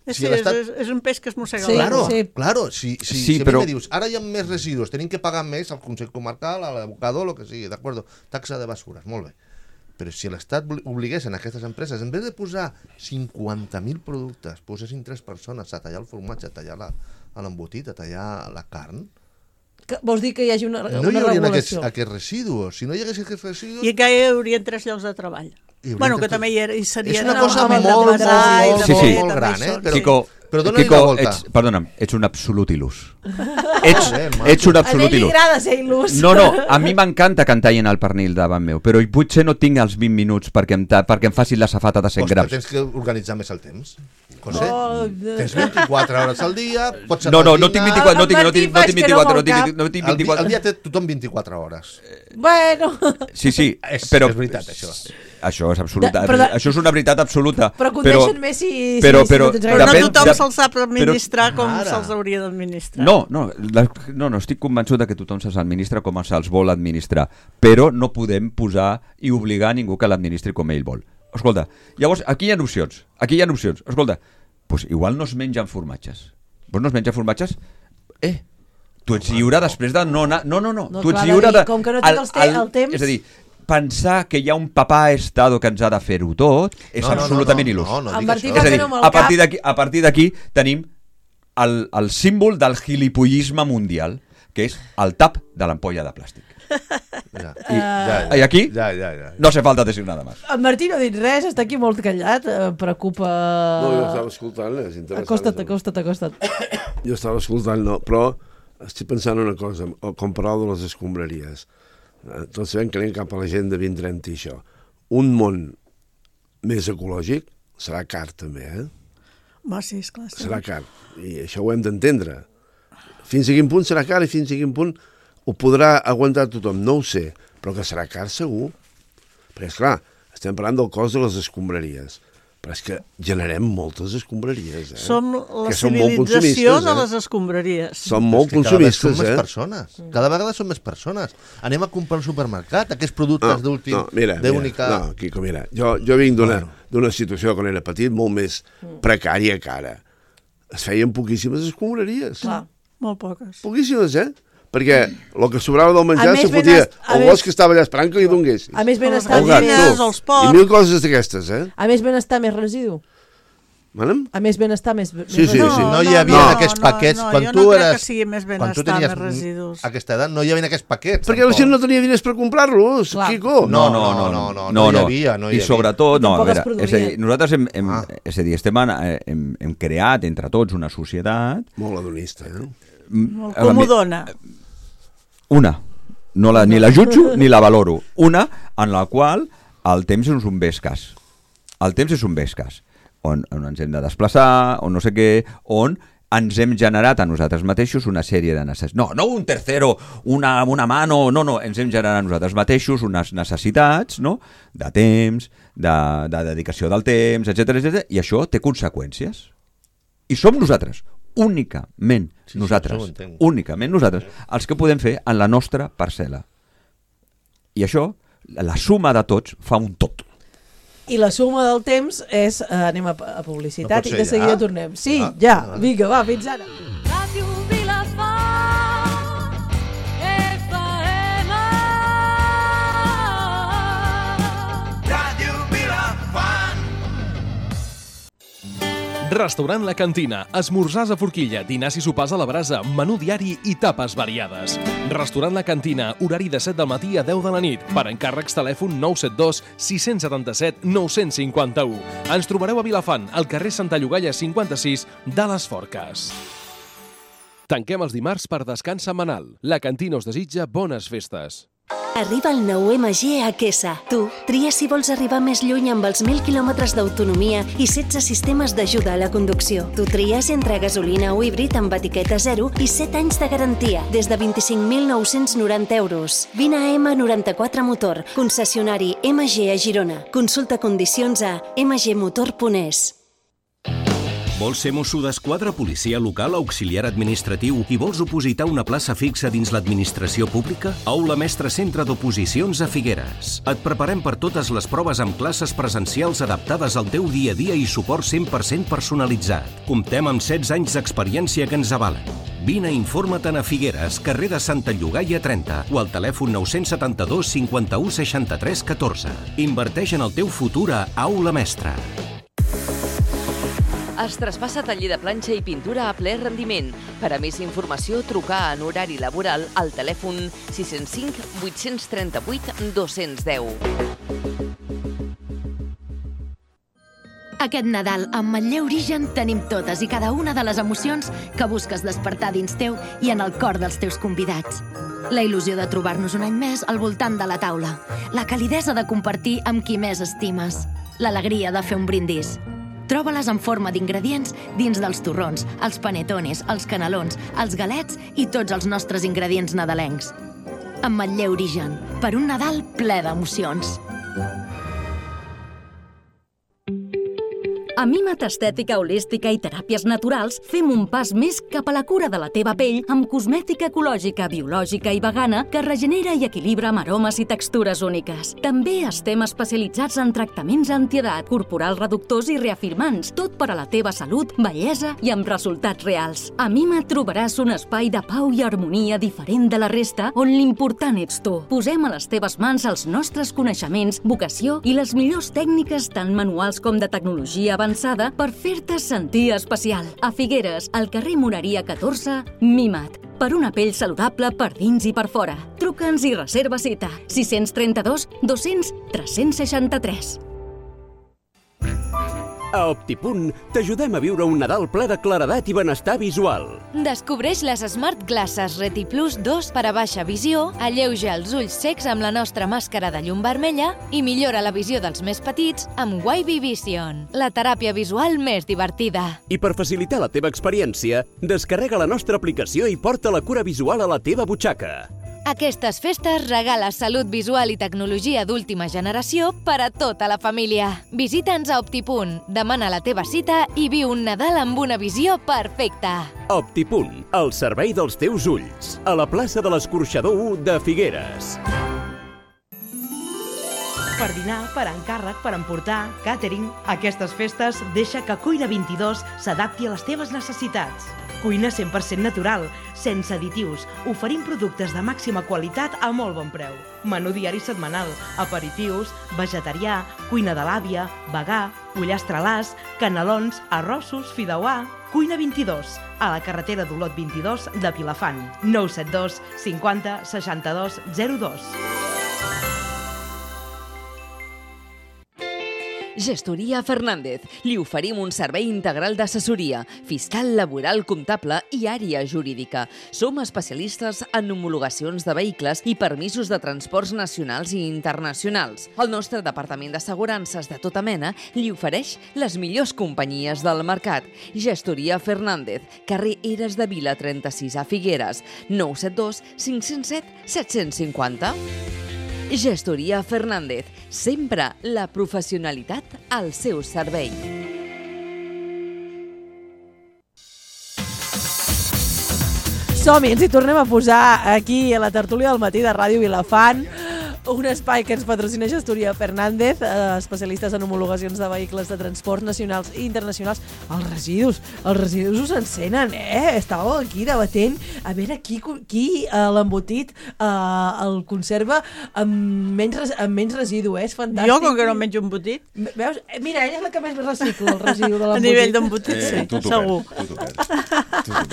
sí, si l'estat... és, és un peix que es mossega. Sí, claro, sí. claro. Si, si, sí, si però... a mi me dius, ara hi ha més residus, tenim que pagar més al Consell Comarcal, a l'abocador, el que sigui, d'acord? Taxa de basures, molt bé. Però si l'Estat obligués en aquestes empreses, en vez de posar cinquanta mil productes, posessin tres persones a tallar el formatge, a tallar l'embotit, a tallar la carn... Que, vols dir que hi hagi una, no una hi haurien regulació? Aquests, aquests residus. Si no hi hagués aquests residus... I que hi haurien tres llocs de treball. Bueno, que també hi, era, hi seria... És una cosa molt, molt, molt, molt, sí, sí. molt gran, eh? Però, Quico, però dona-li Quico, la volta. ets, perdona'm, ets un absolut il·lús. ets, ets un absolut il·lús. A ell li agrada ser il·lús. No, no, a mi m'encanta que em tallin el pernil davant meu, però potser no tinc els vint minuts perquè em, ta, perquè em facin la safata de cent Ostres, grams. tens que organitzar més el temps. José, oh, tens vint-i-quatre hores al dia, pots no, no, no tinc vint-i-quatre, no tinc, no tinc, no tinc vint-i-quatre, no tinc, no tinc vint-i-quatre. Al dia té tothom vint-i-quatre hores. Bueno. Sí, sí, és, però... És veritat, això. Això és absoluta, de, però, això és una veritat absoluta. Però condeixen més si, però, si, però, si però no tothom de, se'ls sap administrar però, com se'ls hauria d'administrar. No, no, la, no, no, estic convençut de que tothom se'ls administra com se'ls vol administrar, però no podem posar i obligar a ningú que l'administri com ell vol. Escolta, llavors, aquí hi ha opcions, aquí hi ha opcions. Escolta, doncs igual no es mengen formatges. Vos no es mengen formatges? Eh, tu ets lliure després de no anar... No, no, no, no tu ets clar, lliure de... Com que no tinc el, el, el temps... És a dir, pensar que hi ha un papà estado que ens ha de fer-ho tot és no, no, absolutament no, no, il·lús. no, no, no és a dir, a partir d'aquí a partir d'aquí tenim el, el símbol del gilipollisme mundial, que és el tap de l'ampolla de plàstic. Ja. I, ja, ja. I aquí Ja, ja, ja. no hace falta decir nada más. En Martí no ha dit res, està aquí molt callat, eh, preocupa... No, jo estava escoltant, és interessant. Acosta't, acosta't, acosta't. Jo estava escoltant, no, però estic pensant una cosa, com parlau de les escombraries. Tots sabem que anem cap a la gent de vint trenta i això. Un món més ecològic serà car també, eh? Va, sí, esclar. Sí. Serà car, i això ho hem d'entendre. Fins a quin punt serà car i fins a quin punt ho podrà aguantar tothom, no ho sé, però que serà car segur. Perquè, esclar, estem parlant del cost de les escombraries, però és que generem moltes escombraries, eh? Som la que són molt civilització consumistes, de eh? les escombraries. Som molt És que cada vegada consumistes, som més eh? persones. Cada vegada som més persones. Anem a comprar al supermercat aquests productes d'últim, no, mira, d'única... mira, no, Quico, mira, jo, jo vinc d'una d'una situació quan era petit molt més precària que ara. Es feien poquíssimes escombraries. Clar, molt poques. Poquíssimes, eh? Perquè el que sobrava del menjar A més, se fotia benes- a el més- gos que estava allà esperant que li donguessis. A més Les benestar, El gat, gallines, tu. els porcs. I mil coses d'aquestes, eh? a més benestar, més residu. Manem? A més benestar, més, més Sí, sí, residu. sí. No hi havia no, aquests no, paquets. no, quan jo tu no crec eres... que sigui més quan tu benestar, tenies més residus. aquesta edat, no hi havia aquests paquets. Perquè la tampoc. gent no tenia diners per comprar-los, Clar. Quico. No, no, no, no, no, no hi havia, no hi I havia. sobretot, no, a Tampoc es veure, és a dir, produïa. nosaltres hem, hem, Ah. és a dir, estem, en- hem, hem creat entre tots una societat... Molt hedonista, eh? Molt a la mi- comodona. Una, no la, ni la jutjo ni la valoro. Una en la qual el temps és un bé escàs. El temps és un bé escàs. On, on ens hem de desplaçar, on no sé què, on ens hem generat a nosaltres mateixos una sèrie de necessitats. No, no un tercero, una, una mano, no, no, ens hem generat a nosaltres mateixos unes necessitats, no?, de temps, de, de dedicació del temps, etcètera, etcètera, i això té conseqüències. I som nosaltres, únicament Sí, sí, nosaltres, això ho entenc. únicament nosaltres, els que podem fer en la nostra parcel·la. I això, la suma de tots, fa un tot. I la suma del temps és... Eh, anem a, a publicitat No pot i ser de seguida ja? tornem. Sí, Ah, ja. ah. Vinga, va, fins ara. Ràdio Vilafant, F M. Restaurant La Cantina, esmorzars a forquilla, dinars i sopars a la brasa, menú diari i tapes variades. Restaurant La Cantina, horari de set del matí a deu de la nit. Per encàrrecs, telèfon nou set dos sis set set nou cinc u. Ens trobareu a Vilafant, al carrer Santa Llogaia cinquanta-sis de les Forques. Tanquem els dimarts per descans setmanal. La Cantina us desitja bones festes. Arriba el nou M G a Quesa. Tu, tria si vols arribar més lluny amb els mil quilòmetres d'autonomia i setze sistemes d'ajuda a la conducció. Tu tries entre gasolina o híbrid amb etiqueta zero i set anys de garantia, des de vint-i-cinc mil nou-cents noranta euros. Vine a M noranta-quatre Motor, concessionari M G a Girona. Consulta condicions a m g motor punt e s. Vols ser mosso d'esquadra, policia local, auxiliar administratiu i vols opositar una plaça fixa dins l'administració pública? Aula Mestre Centre d'Oposicions a Figueres. Et preparem per totes les proves amb classes presencials adaptades al teu dia a dia i suport cent per cent personalitzat. Comptem amb setze anys d'experiència que ens avalen. Vine i informa-te'n a Figueres, carrer de Santa Llogaia trenta o al telèfon nou set dos cinquanta-u seixanta-tres catorze. Inverteix en el teu futur a Aula Mestre. Es traspassa taller de planxa i pintura a ple rendiment. Per a més informació, trucar en horari laboral al telèfon sis zero cinc vuit tres vuit dos un zero. Aquest Nadal, amb Manlleu Origen, tenim totes i cada una de les emocions que busques despertar dins teu i en el cor dels teus convidats. La il·lusió de trobar-nos un any més al voltant de la taula. La calidesa de compartir amb qui més estimes. L'alegria de fer un brindis. Troba-les en forma d'ingredients dins dels torrons, els panetones, els canelons, els galets i tots els nostres ingredients nadalencs. Amb Manlleu Origen, per un Nadal ple d'emocions. A Mimat Estètica Holística i Teràpies Naturals fem un pas més cap a la cura de la teva pell amb cosmètica ecològica, biològica i vegana que regenera i equilibra amb aromes i textures úniques. També estem especialitzats en tractaments antiedat, corporals reductors i reafirmants, tot per a la teva salut, bellesa i amb resultats reals. A Mimat trobaràs un espai de pau i harmonia diferent de la resta on l'important ets tu. Posem a les teves mans els nostres coneixements, vocació i les millors tècniques tant manuals com de tecnologia avançada per fer-te sentir especial. A Figueres, al carrer Moreria catorze, Mimat. Per una pell saludable per dins i per fora. Truca'ns i reserva cita. sis tres dos, dos-cents, tres-cents seixanta-tres. A Optipunt t'ajudem a viure un Nadal ple de claredat i benestar visual. Descobreix les Smart Glasses Reti Plus dos per a baixa visió, alleuja els ulls secs amb la nostra màscara de llum vermella i millora la visió dels més petits amb Wavy Vision, la teràpia visual més divertida. I per facilitar la teva experiència, descarrega la nostra aplicació i porta la cura visual a la teva butxaca. Aquestes festes regala salut visual i tecnologia d'última generació per a tota la família. Visita'ns a Optipunt, demana la teva cita i viu un Nadal amb una visió perfecta. Optipunt, el servei dels teus ulls. A la plaça de l'Escorxador u de Figueres. Per dinar, per encàrrec, per emportar, càtering, aquestes festes deixa que Cuina vint-i-dos s'adapti a les teves necessitats. Cuina cent per cent natural, sense additius. Oferim productes de màxima qualitat a molt bon preu. Menú diari setmanal, aperitius, vegetarià, cuina de l'àvia, vegà, pollastre-làs, canelons, arrossos, fideuà. Cuina vint-i-dos, a la carretera d'Olot vint-i-dos de Vilafant. nou set dos cinquanta seixanta-dos zero dos. Gestoria Fernández. Li oferim un servei integral d'assessoria, fiscal, laboral, comptable i àrea jurídica. Som especialistes en homologacions de vehicles i permisos de transports nacionals i internacionals. El nostre departament d'assegurances de tota mena li ofereix les millors companyies del mercat. Gestoria Fernández, carrer Eres de Vila trenta-sis a Figueres, nou set dos cinc zero set set cinc zero. Gestoria Fernández, sempre la professionalitat al seu servei. Som-hi, ens hi tornem a posar aquí a la tertúlia del matí de Ràdio Vilafant, un espai que ens patrocina Gestoria Fernández, eh, especialistes en homologacions de vehicles de transports nacionals i internacionals. Els residus, els residus us encenen, eh? Estàveu aquí debatent a veure qui, qui eh, l'embotit eh, el conserva amb menys, amb menys residu, eh? És fantàstic. Jo, com que no menjo embotit. Veus? Mira, ella és la que més recicla el residu de l'embotit. A nivell d'embotit, eh, sí, tu segur. Tu tu tu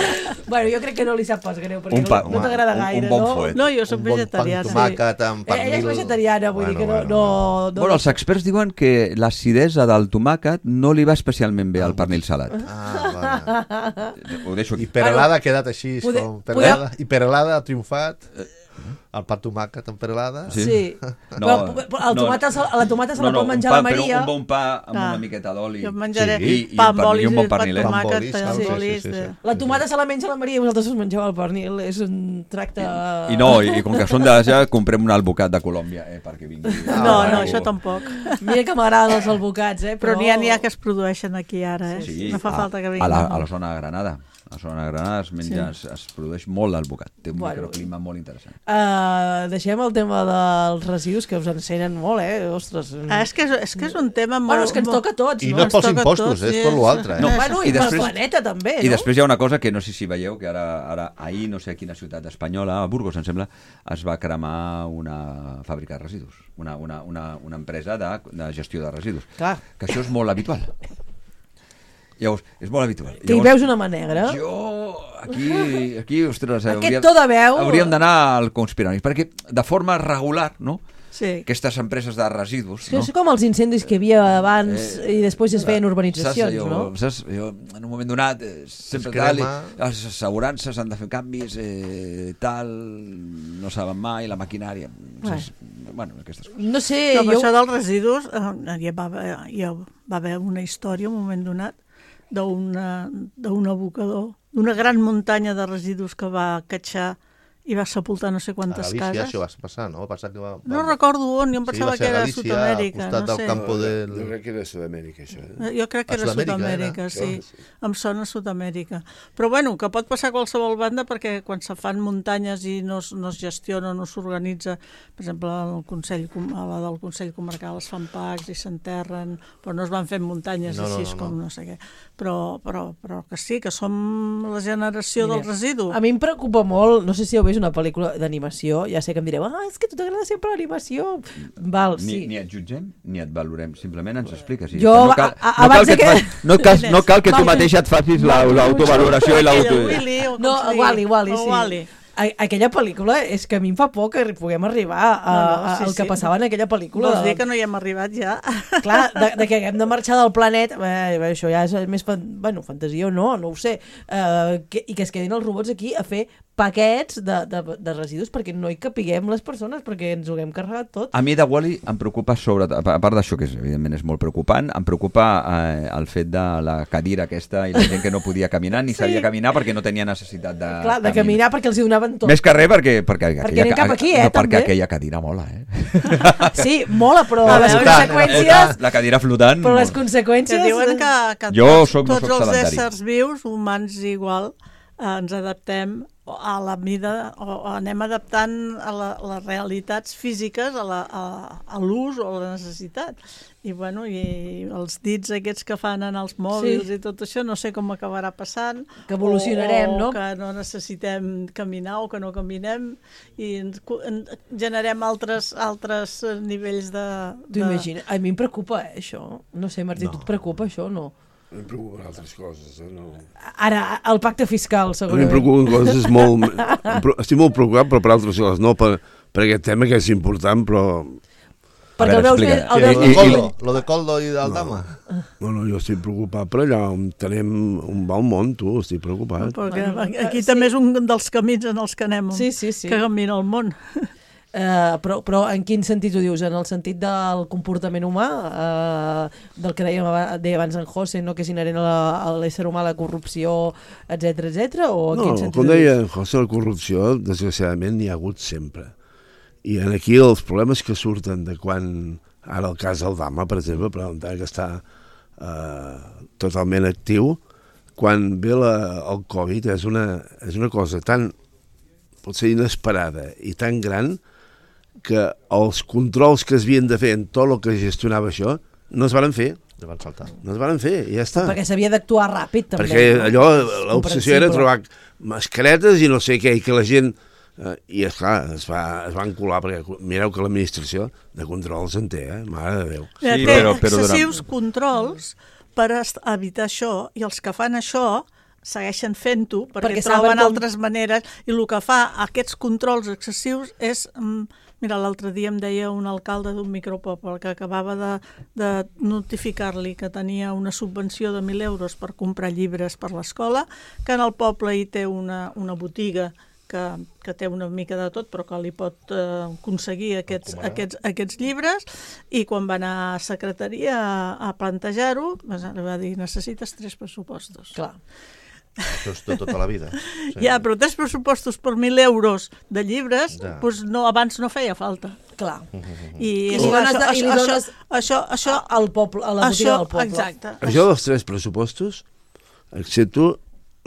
Bueno, jo crec que no li sap pas greu, perquè pa, no, no t'agrada gaire, un bon no? Fuet. No, jo soc vegetariana. Un bon pa amb tomàquet, amb Ella pernil... és vegetariana, vull Bueno, dir que no... bueno, no, no Bueno, els experts diuen que l'acidesa del tomàquet no li va especialment bé al pernil salat. Ah, vale. Ho deixo aquí. I perelada ha quedat així, Pode- com perelada, i perelada ha triomfat. El pa tomàquet amb perelada. Sí. sí. No, però, però el tomata, no, la tomata se la no, pot menjar pa, la Maria. Però un bon pa amb Ah. una miqueta d'oli. Jo menjaré sí. I, i pa un amb pernil, olis un i bon pa amb pernilet. tomàquet, bolis, pa amb sí, sí, olis. sí, sí. de- La tomata se la menja la Maria i vosaltres us mengeu el pernil. És un tracte... I no, i, i com que són d'Àsia, comprem un albocat de Colòmbia, eh, perquè vingui. No, no, algú. això tampoc. Mira que m'agraden els albocats, eh? Però Però n'hi ha, n'hi ha que es produeixen aquí ara, eh? Sí, No fa a, falta que a, vinguin. la, a la zona de Granada. A la zona de Granada es, menja, Sí. es, es produeix molt l'albocat. Té un Bueno. microclima molt interessant. Uh, deixem el tema dels residus, que us encenen molt, eh? Ostres. Ah, és, que és, és que és un tema molt... Bueno, és que ens molt- toca a tots, I no? no Ens pels toca a impostos, tots, és sí, per és- l'altre. Eh? No, Bueno, i, I pel després- planeta també, no? I després hi ha una cosa que no sé si veieu, que ara, ara ahir, no sé a quina ciutat espanyola, a Burgos, em sembla, es va cremar una fàbrica de residus, una, una, una, una empresa de, de gestió de residus. Clar. Que això és molt habitual. Llavors, és molt habitual. Que hi veus una mà negra? Jo, aquí, aquí ostres, Aquest to de veu... hauríem d'anar al conspiranois, perquè de forma regular, no? Sí. Aquestes empreses de residus, És que no? és com els incendis que hi havia abans Eh, i després es feien Saps, urbanitzacions, jo, no? Saps? Jo, en un moment donat, eh, sempre Es tal, i crema. les assegurances han de fer canvis, eh, tal, no saben mai, la maquinària... Saps? Bueno, aquestes coses. No sé, No, però jo... això dels residus, eh, hi va, haver- hi va haver una història, un moment donat, d'una- d'un abocador, d'una gran muntanya de residus que va catxar i va sepultar no sé A quantes Galícia cases. això va passar, no? Va passar que va, va... No recordo on, jo em Sí, pensava va ser que era a Galícia, Sud-amèrica. al costat No del sé. campo del... Jo crec que era Sud-amèrica, això. Eh? Eh, Jo crec que A era Sud-amèrica, Sud-amèrica, era? sí. Sí. Em sona Sud-amèrica. Però bueno, que pot passar a qualsevol banda perquè quan se fan muntanyes i no, es- no es gestiona, no s'organitza, per exemple, el Consell, Com- a la del Consell Comarcal es fan packs i s'enterren, però no es van fent muntanyes No, no, així no, no. com no sé què. Però, però, però que sí, que som la generació Mira, del residu. A mi em preocupa molt, no sé si heu vist una pel·lícula d'animació, ja sé que em direu, ah, és que a tu t'agrada sempre l'animació. Val, Ni, sí. ni et jutgem, ni et valorem, simplement ens expliques. I Jo, ja està. no cal, a- a- no cal abans que, de et que- faci- no cal, no cal que tu Val. mateixa et facis la- l'autovaloració i l'auto... Willy, o com No, se digui. Wally, Wally, O sí. Wally. aquella pel·lícula és que a mi em fa por que puguem arribar a, No, no, a, sí, al que sí. passava en aquella pel·lícula. Vols dir que no hi hem arribat ja? Clar, de, de que haguem de marxar del planeta, eh, això ja és més fan, bueno, fantasia o no, no ho sé, eh, que, i que es quedin els robots aquí a fer paquets de, de, de residus perquè no hi capiguem les persones, perquè ens ho haguem carregat tot. A mi de Wall-E em preocupa sobre, a part d'això, que és, evidentment és molt preocupant, em preocupa eh, el fet de la cadira aquesta i la gent que no podia caminar ni Sí. sabia caminar perquè no tenia necessitat de Clar, de caminar perquè els hi donaven tot. Més que res perquè... Perquè, Perquè anem cap aquí, eh, no, perquè també. aquella cadira mola, eh? Sí, mola, però La les flotant, conseqüències... La cadira flotant... Però les mola. conseqüències... Que diuen que, que Jo tots, soc- no tots soc els sedentari. éssers vius, humans igual, eh, ens adaptem a la mida, o, o anem adaptant a, la, a les realitats físiques, a la- a- a l'ús o a la necessitat. I, bueno, i els dits aquests que fan en els mòbils Sí. i tot això, no sé com acabarà passant. Que evolucionarem, o, o no? que no necessitem caminar o que no caminem i ens, cu- en, generem altres, altres eh, nivells de... Tu de... imagina, a mi em preocupa, eh, això. No sé, Martí, No. tu et preocupa això o no? Em preocupen altres coses. Eh? No. Ara, el pacte fiscal, A mi em segurament. preocupen coses molt... em pre- Estic molt preocupat, però per altres coses, no per, per aquest tema que és important, però... Perquè el veus més... El Lo veus de més... Coldo, lo de Coldo i d'Aldama. No, no, jo estic preocupat per allà on tenem on va el món, tu, estic preocupat. Perquè Bueno, aquí eh, també sí. és un dels camins en els que anem, Sí, sí, sí. que camina el món. Uh, però, però en quin sentit ho dius? En el sentit del comportament humà, uh, del que dèiem, aba- deia abans en José, no? Que és inherent a la- a l'ésser humà, la corrupció, etc etc o en No, quin sentit com ho deia dius? José, la corrupció, desgraciadament, n'hi ha hagut sempre. I en aquí els problemes que surten de quan, ara el cas Aldama, per exemple, però encara que està eh, totalment actiu, quan ve la, el Covid és una, és una cosa tan, potser inesperada i tan gran que els controls que es havien de fer en tot el que gestionava això no es van fer. Ja van saltar. No es van fer, i ja està. Perquè s'havia d'actuar ràpid, també. Perquè allò, És l'obsessió era comprensible. trobar mascaretes i no sé què, i que la gent... Eh, I, esclar, es, va, es van colar, perquè mireu que l'administració de controls en té, eh? Mare de Déu. Sí, té però, però excessius durant... controls per est- evitar això, i els que fan això segueixen fent-ho perquè, Perquè perquè troben saben com- altres maneres, i el que fa aquests controls excessius és... Mm, mira, l'altre dia em deia un alcalde d'un micropoble que acabava de, de notificar-li que tenia una subvenció de mil euros per comprar llibres per l'escola, que en el poble hi té una, una botiga que, que té una mica de tot, però que li pot eh, aconseguir aquests, aquests, aquests llibres, i quan va anar a secretaria a, a plantejar-ho, li va dir, necessites tres pressupostos. Clar. Això és de tota la vida. Sí. Ja, però tres pressupostos per mil euros de llibres, Ja. doncs no, abans no feia falta. Clar. I, I li dones, de, i li això, dones això, això, al poble, a la botiga això, del poble. exacte. Això dels tres pressupostos, accepto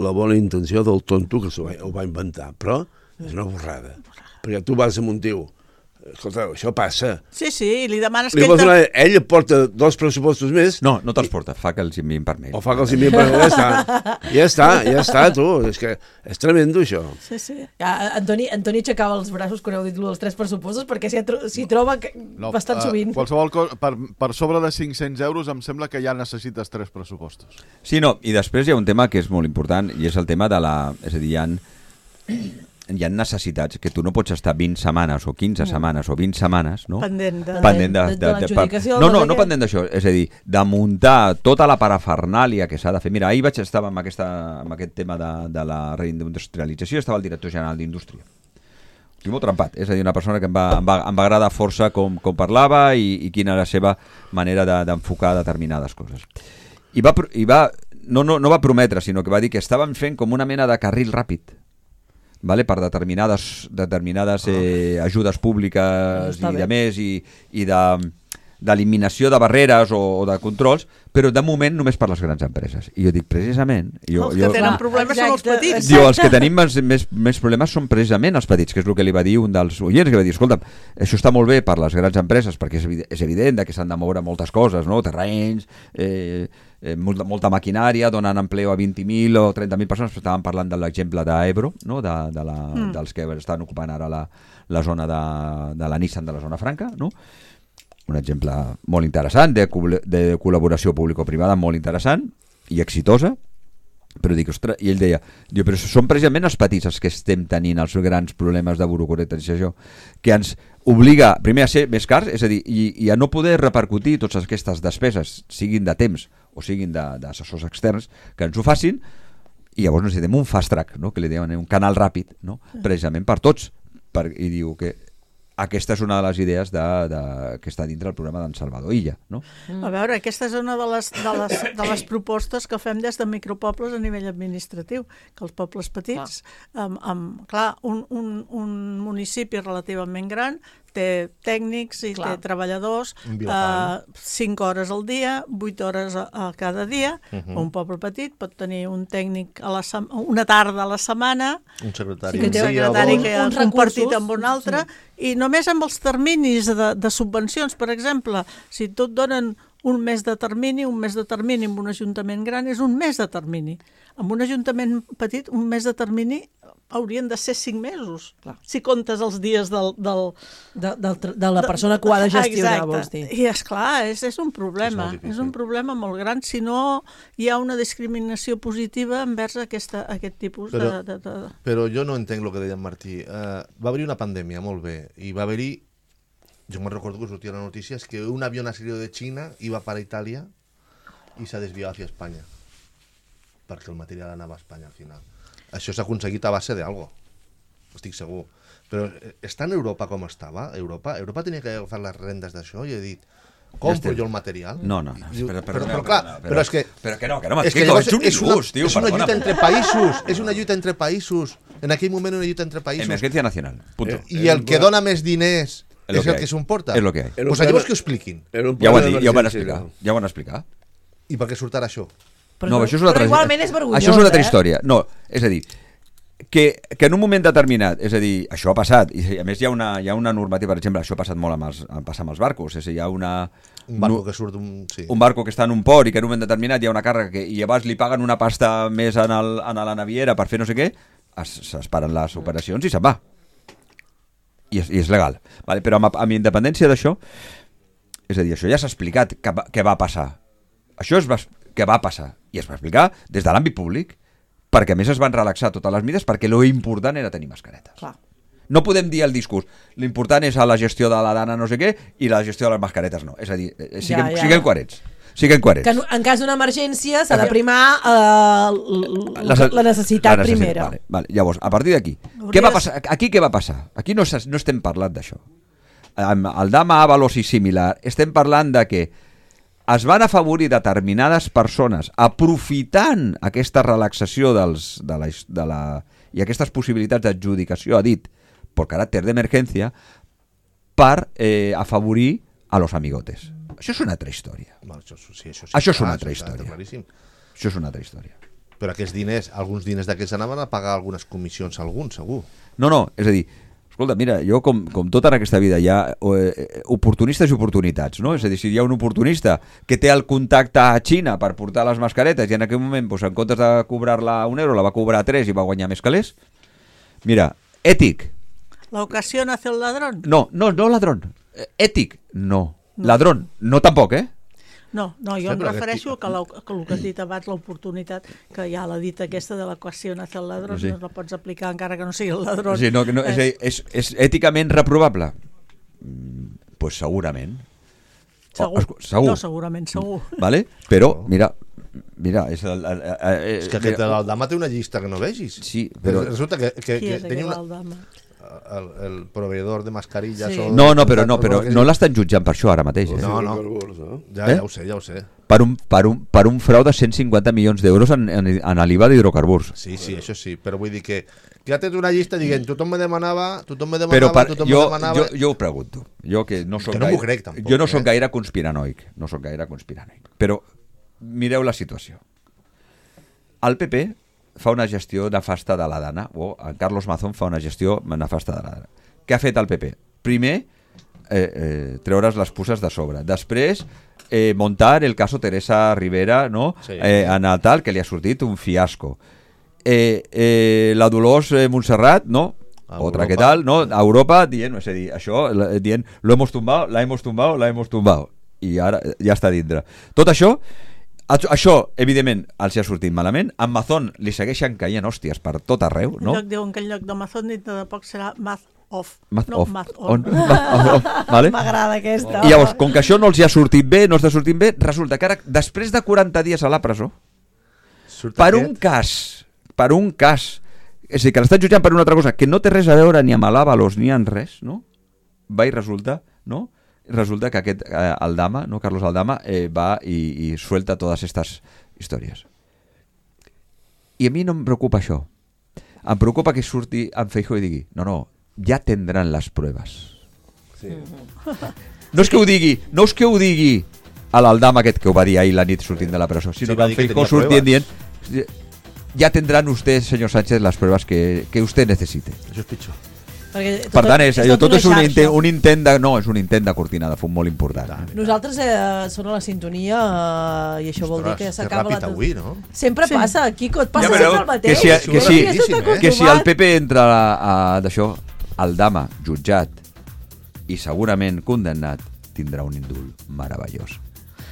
la bona intenció del tonto que s'ho va, ho va inventar, però és una borrada. Perquè tu vas amb un tio, escolta, això passa. Sí, sí, i li demanes Li que vols ell... donar, ell et porta dos pressupostos més... No, no te'ls porta, fa que els enviïn per mail. O fa que els enviïn per mail, ja està. Ja està, ja està, tu. És que és tremendo, això. Sí, sí. Ja, Antoni, Antoni aixecava els braços quan heu dit els tres pressupostos perquè s'hi tro troba que... No, bastant eh, sovint. Qualsevol cosa, per, per sobre de cinc-cents euros em sembla que ja necessites tres pressupostos. Sí, no, i després hi ha un tema que és molt important i és el tema de la... És a dir, hi ha, hi ha necessitats que tu no pots estar vint setmanes o quinze setmanes o vint setmanes, no? Pendent de- pendent de, de- de l'adjudicació No, del no, no sé no què. pendent d'això, és a dir, de muntar tota la parafernàlia que s'ha de fer. Mira, ahir vaig estar amb, aquesta, amb aquest tema de, de la reindustrialització, estava el director general d'Indústria. Estic molt trempat, és a dir, una persona que em va, em va, em va agradar força com, com parlava i, i quina era la seva manera de- d'enfocar de, determinades coses. I va, pro- i va no, no, no va prometre, sinó que va dir que estaven fent com una mena de carril ràpid, vale? Per determinades, determinades eh, ajudes públiques Està i bé. de més i, i de d'eliminació de barreres o, o de controls, però de moment només per les grans empreses. I jo dic, precisament... Jo, Els que jo, tenen problemes són els petits. Diu, els que tenim més, més, més problemes són precisament els petits, que és el que li va dir un dels oients, que va dir, escolta, això està molt bé per les grans empreses, perquè és evident, és evident que s'han de moure moltes coses, no? Terrenys, eh, eh, molta, molta maquinària, donen empleo a vint mil o trenta mil persones, però estàvem parlant de l'exemple d'Ebro, no? de, de la, Mm. dels que estan ocupant ara la, la zona de, de la Nissan de la zona franca, no? Un exemple molt interessant de, de col·laboració público-privada molt interessant i exitosa, Però dic, ostres, i ell deia, diu, però són precisament els petits els que estem tenint els grans problemes de burocratització, que ens obliga, primer, a ser més cars, és a dir, i, i a no poder repercutir totes aquestes despeses, siguin de temps o siguin d'assessors externs, que ens ho facin, i llavors necessitem un fast track, no? Que li diuen un canal ràpid, no? Precisament per tots, per, i diu que aquesta és una de les idees de, de, que està dintre el programa d'en Salvador Illa, no? A veure, aquesta és una de les, de, les, de les propostes que fem des de micropobles a nivell administratiu, que els pobles petits, amb, amb, clar, un, un, un municipi relativament gran té tècnics i Clar. té treballadors eh, cinc hores al dia, vuit hores a, a cada dia. Mhm. Un poble petit pot tenir un tècnic a la sem- una tarda a la setmana, Un secretari. sí, que té un un dia o secretari dos. que ha Uns compartit recursos, amb un altre, i només amb els terminis de, de subvencions, per exemple, si tu et donen un mes de termini, un mes de termini amb un ajuntament gran és un mes de termini. Amb un ajuntament petit, un mes de termini haurien de ser cinc mesos, clar, si comptes els dies del... del de, del, de la persona que ho ha de gestionar, Exacte. vols dir. I esclar, és, és un problema, És molt difícil. és un problema molt gran, si no hi ha una discriminació positiva envers aquesta, aquest tipus Però, de, de, de... però jo no entenc el que deia en Martí. Uh, va haver-hi una pandèmia, molt bé, i va haver-hi, jo me'n recordo que sortia la notícia, és que un avió salió de Xina iba para Itàlia i s'ha desviat hacia Espanya, perquè el material anava a Espanya al final. Això s'ha aconseguit a base d'algo, estic segur. Però eh, està en Europa com estava? Europa Europa tenia que agafar les rendes d'això i he dit, compro estem- jo el material? No, no, no, I diu, espera, però, perdona, però, clar, perdona, però és que... però que no, que no és m'explico, llavors ets un és una- injust, tio, És una perdona'm. lluita entre països, és una lluita entre països. En aquell moment una lluita entre països. Emergencia nacional, punto. Eh, I el que dona més diners Es lo és que el hay. que s'emporta. Es lo que hay. Pues pues llavors que ho expliquin. Ja ho, han dit, ja ho van explicar, ja ho van explicar. I per què surt ara això? Però no, no- això és una però altra, igualment és vergonyós, això és una altra eh? història. No, és a dir, que, que en un moment determinat, és a dir, això ha passat, i a més hi ha una, hi ha una normativa, per exemple, això ha passat molt amb els, passa amb els barcos, és a dir, hi ha una... Un barco que surt d'un... Sí. Un barco que està en un port i que en un moment determinat hi ha una càrrega que, i llavors li paguen una pasta més en, el, en la naviera per fer no sé què, es, es paren les operacions i se'n va. I és, i és legal. Vale? Però amb, amb independència d'això, és a dir, això ja s'ha explicat que, va- què va passar. Això es va, que va passar. I es va explicar des de l'àmbit públic, perquè a més es van relaxar totes les mides, perquè lo important era tenir mascaretes. Clar. No podem dir el discurs, l'important és a la gestió de la dana no sé què i la gestió de les mascaretes no. És a dir, eh, siguem, Ja, ja. siguem coherents. Siguem coherents. Que en, en cas d'una emergència s'ha de primar eh, l- La- la necessitat la necessitat, primera. Vale, vale. Llavors, a partir d'aquí, Hauries- què va passar? Aquí què va passar? Aquí no, s'es- no estem parlant d'això. Amb el Dama Avalos i similar, estem parlant de que es van afavorir determinades persones aprofitant aquesta relaxació dels, de la, de la, i aquestes possibilitats d'adjudicació, ha dit, per caràcter d'emergència, per eh, afavorir a los amigotes. Això és una altra història. No, això, sí, això, sí, Això és clar, una altra això està història. claríssim. Això és una altra història. Però aquests diners, alguns diners d'aquests anaven a pagar algunes comissions, alguns, segur. No, no, és a dir, escolta, mira, jo com, com tot en aquesta vida hi ha eh, oportunistes i oportunitats, no? És a dir, si hi ha un oportunista que té el contacte a Xina per portar les mascaretes i en aquell moment, doncs, en comptes de cobrar-la un euro, la va cobrar tres i va guanyar més calés, mira, ètic, La ocasión hace el ladrón. no, no, no ladrón, Eh, ètic, no, ladrón, no tampoc, eh? No, no, jo Sí, em però refereixo que, la, que el que has dit abans, l'oportunitat, que hi ha la dita aquesta de l'equació hace el ladrón, Sí. no la pots aplicar encara que no sigui el ladrón. Sí, no, que no, és, a dir, és, és èticament reprovable? Mm, pues segurament. Segur. Oh, escu- segur. No, segurament, segur. Vale? Però, mira, mira, és el, el, el, el, És que aquest de l'Aldama té una llista que no vegis. Sí, però- Resulta que, que, Qui que és tenia aquell una... Aldama? El, el proveedor de mascarillas... Sí. o- No, no, però no, però no l'estan jutjant per això ara mateix. Eh? No, no. Ja, Eh? ja ho sé, ja ho sé. Per un, per un, per un frau de cent cinquanta milions d'euros en, en, en l'I V A d'hidrocarburs. Sí, sí, això sí, però vull dir que que ha tret una llista dient tothom me demanava, tothom me Però demanava, per, tothom jo, me demanava... jo, jo ho pregunto. Jo que no soc Que no m'ho gaire, crec, tampoc, jo no soc eh? gaire conspiranoic. No soc gaire conspiranoic. Però mireu la situació. El P P fa una gestió nefasta de la dana, o en Carlos Mazón fa una gestió nefasta de la dana. Què ha fet el P P? Primer, eh, eh, treure's les puces de sobre. Després, eh, montar el caso Teresa Rivera, no? Sí. Eh, en el tal, que li ha sortit un fiasco. Eh, eh, la Dolors eh, Montserrat, no? A Otra Europa. que tal, no? A Europa dient, és a dir, això, la- dient, lo hemos tumbado, la hemos tumbado, la hemos tumbado. I ara ja està dintre. Tot això, Això, evidentment, els ha sortit malament. A Amazon li segueixen caient hòsties per tot arreu, no? En lloc diuen que en lloc d'Amazon dintre de poc serà Math Off. Math no, off. Math on. on. Math off. Vale? M'agrada aquesta. I llavors, com que això no els hi ha sortit bé, no està sortint bé, resulta que ara, després de quaranta dies a la presó, Surt per aquest? un cas, per un cas, és a dir, que l'estan jutjant per una altra cosa que no té res a veure ni amb l'Àvalos ni amb res, no? Va i resulta, no? Resulta que aquest eh, Aldama, no? Carlos Aldama, eh, va i, i suelta totes aquestes històries. I a mi no em preocupa això. Em preocupa que surti en Feijóo i digui, no, no, ja tindran les proves. Sí. No és que ho digui, no és que ho digui a l'Aldama aquest que ho va dir ahir la nit sortint de la presó, sinó Sí, sí, va que dir que en Feijóo tenia sortint pruebas. dient, ja tindran usted, senyor Sánchez, les proves que, que usted necessite. Això és pitjor. Perquè Per tant, és, allò, tot és un una intent, xarxa. un intent de, no, és un intent de cortina de fum molt important. Nosaltres eh, són a la sintonia eh, i això vol dir Ostres, que que s'acaba ràpid la... avui, no? Sempre Sí. passa, Quico, et passa Ja sempre veureu el mateix. que si, que, Però si, ja estàs eh? que si el acostumat. P P entra a, a, d'això, Aldama jutjat i segurament condemnat, tindrà un indult meravellós.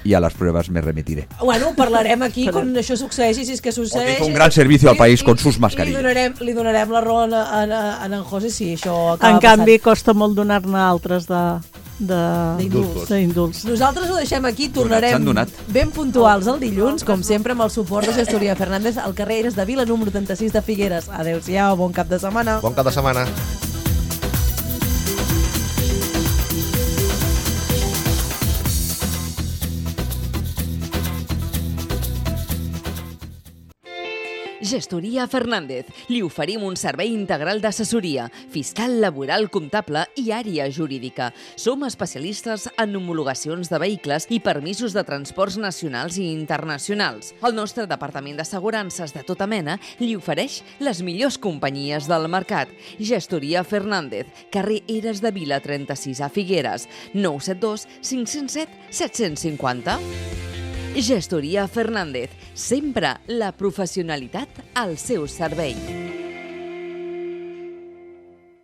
I a les proves me remitiré. Bueno, parlarem aquí quan això succeeixi, si és que succeeix. Hizo un gran servicio al país con sus I li mascarillas. donarem, li donarem la raó a, a, a en José si això acaba En canvi, passant. costa molt donar-ne altres de... D'indults. d'indults. Nosaltres ho deixem aquí, Donat, tornarem s'han donat. ben puntuals el dilluns, com sempre, amb el suport de Gestoria Fernández al carrer Eres de Vila, número trenta-sis de Figueres. Adéu-siau, bon cap de setmana. Bon cap de setmana. Gestoria Fernández. Li oferim un servei integral d'assessoria, fiscal, laboral, comptable i àrea jurídica. Som especialistes en homologacions de vehicles i permisos de transports nacionals i internacionals. El nostre departament d'assegurances de tota mena li ofereix les millors companyies del mercat. Gestoria Fernández, carrer Eres de Vila trenta-sis a Figueres, nou set dos cinc zero set set cinc zero. Gestoria Fernández, sempre la professionalitat al seu servei.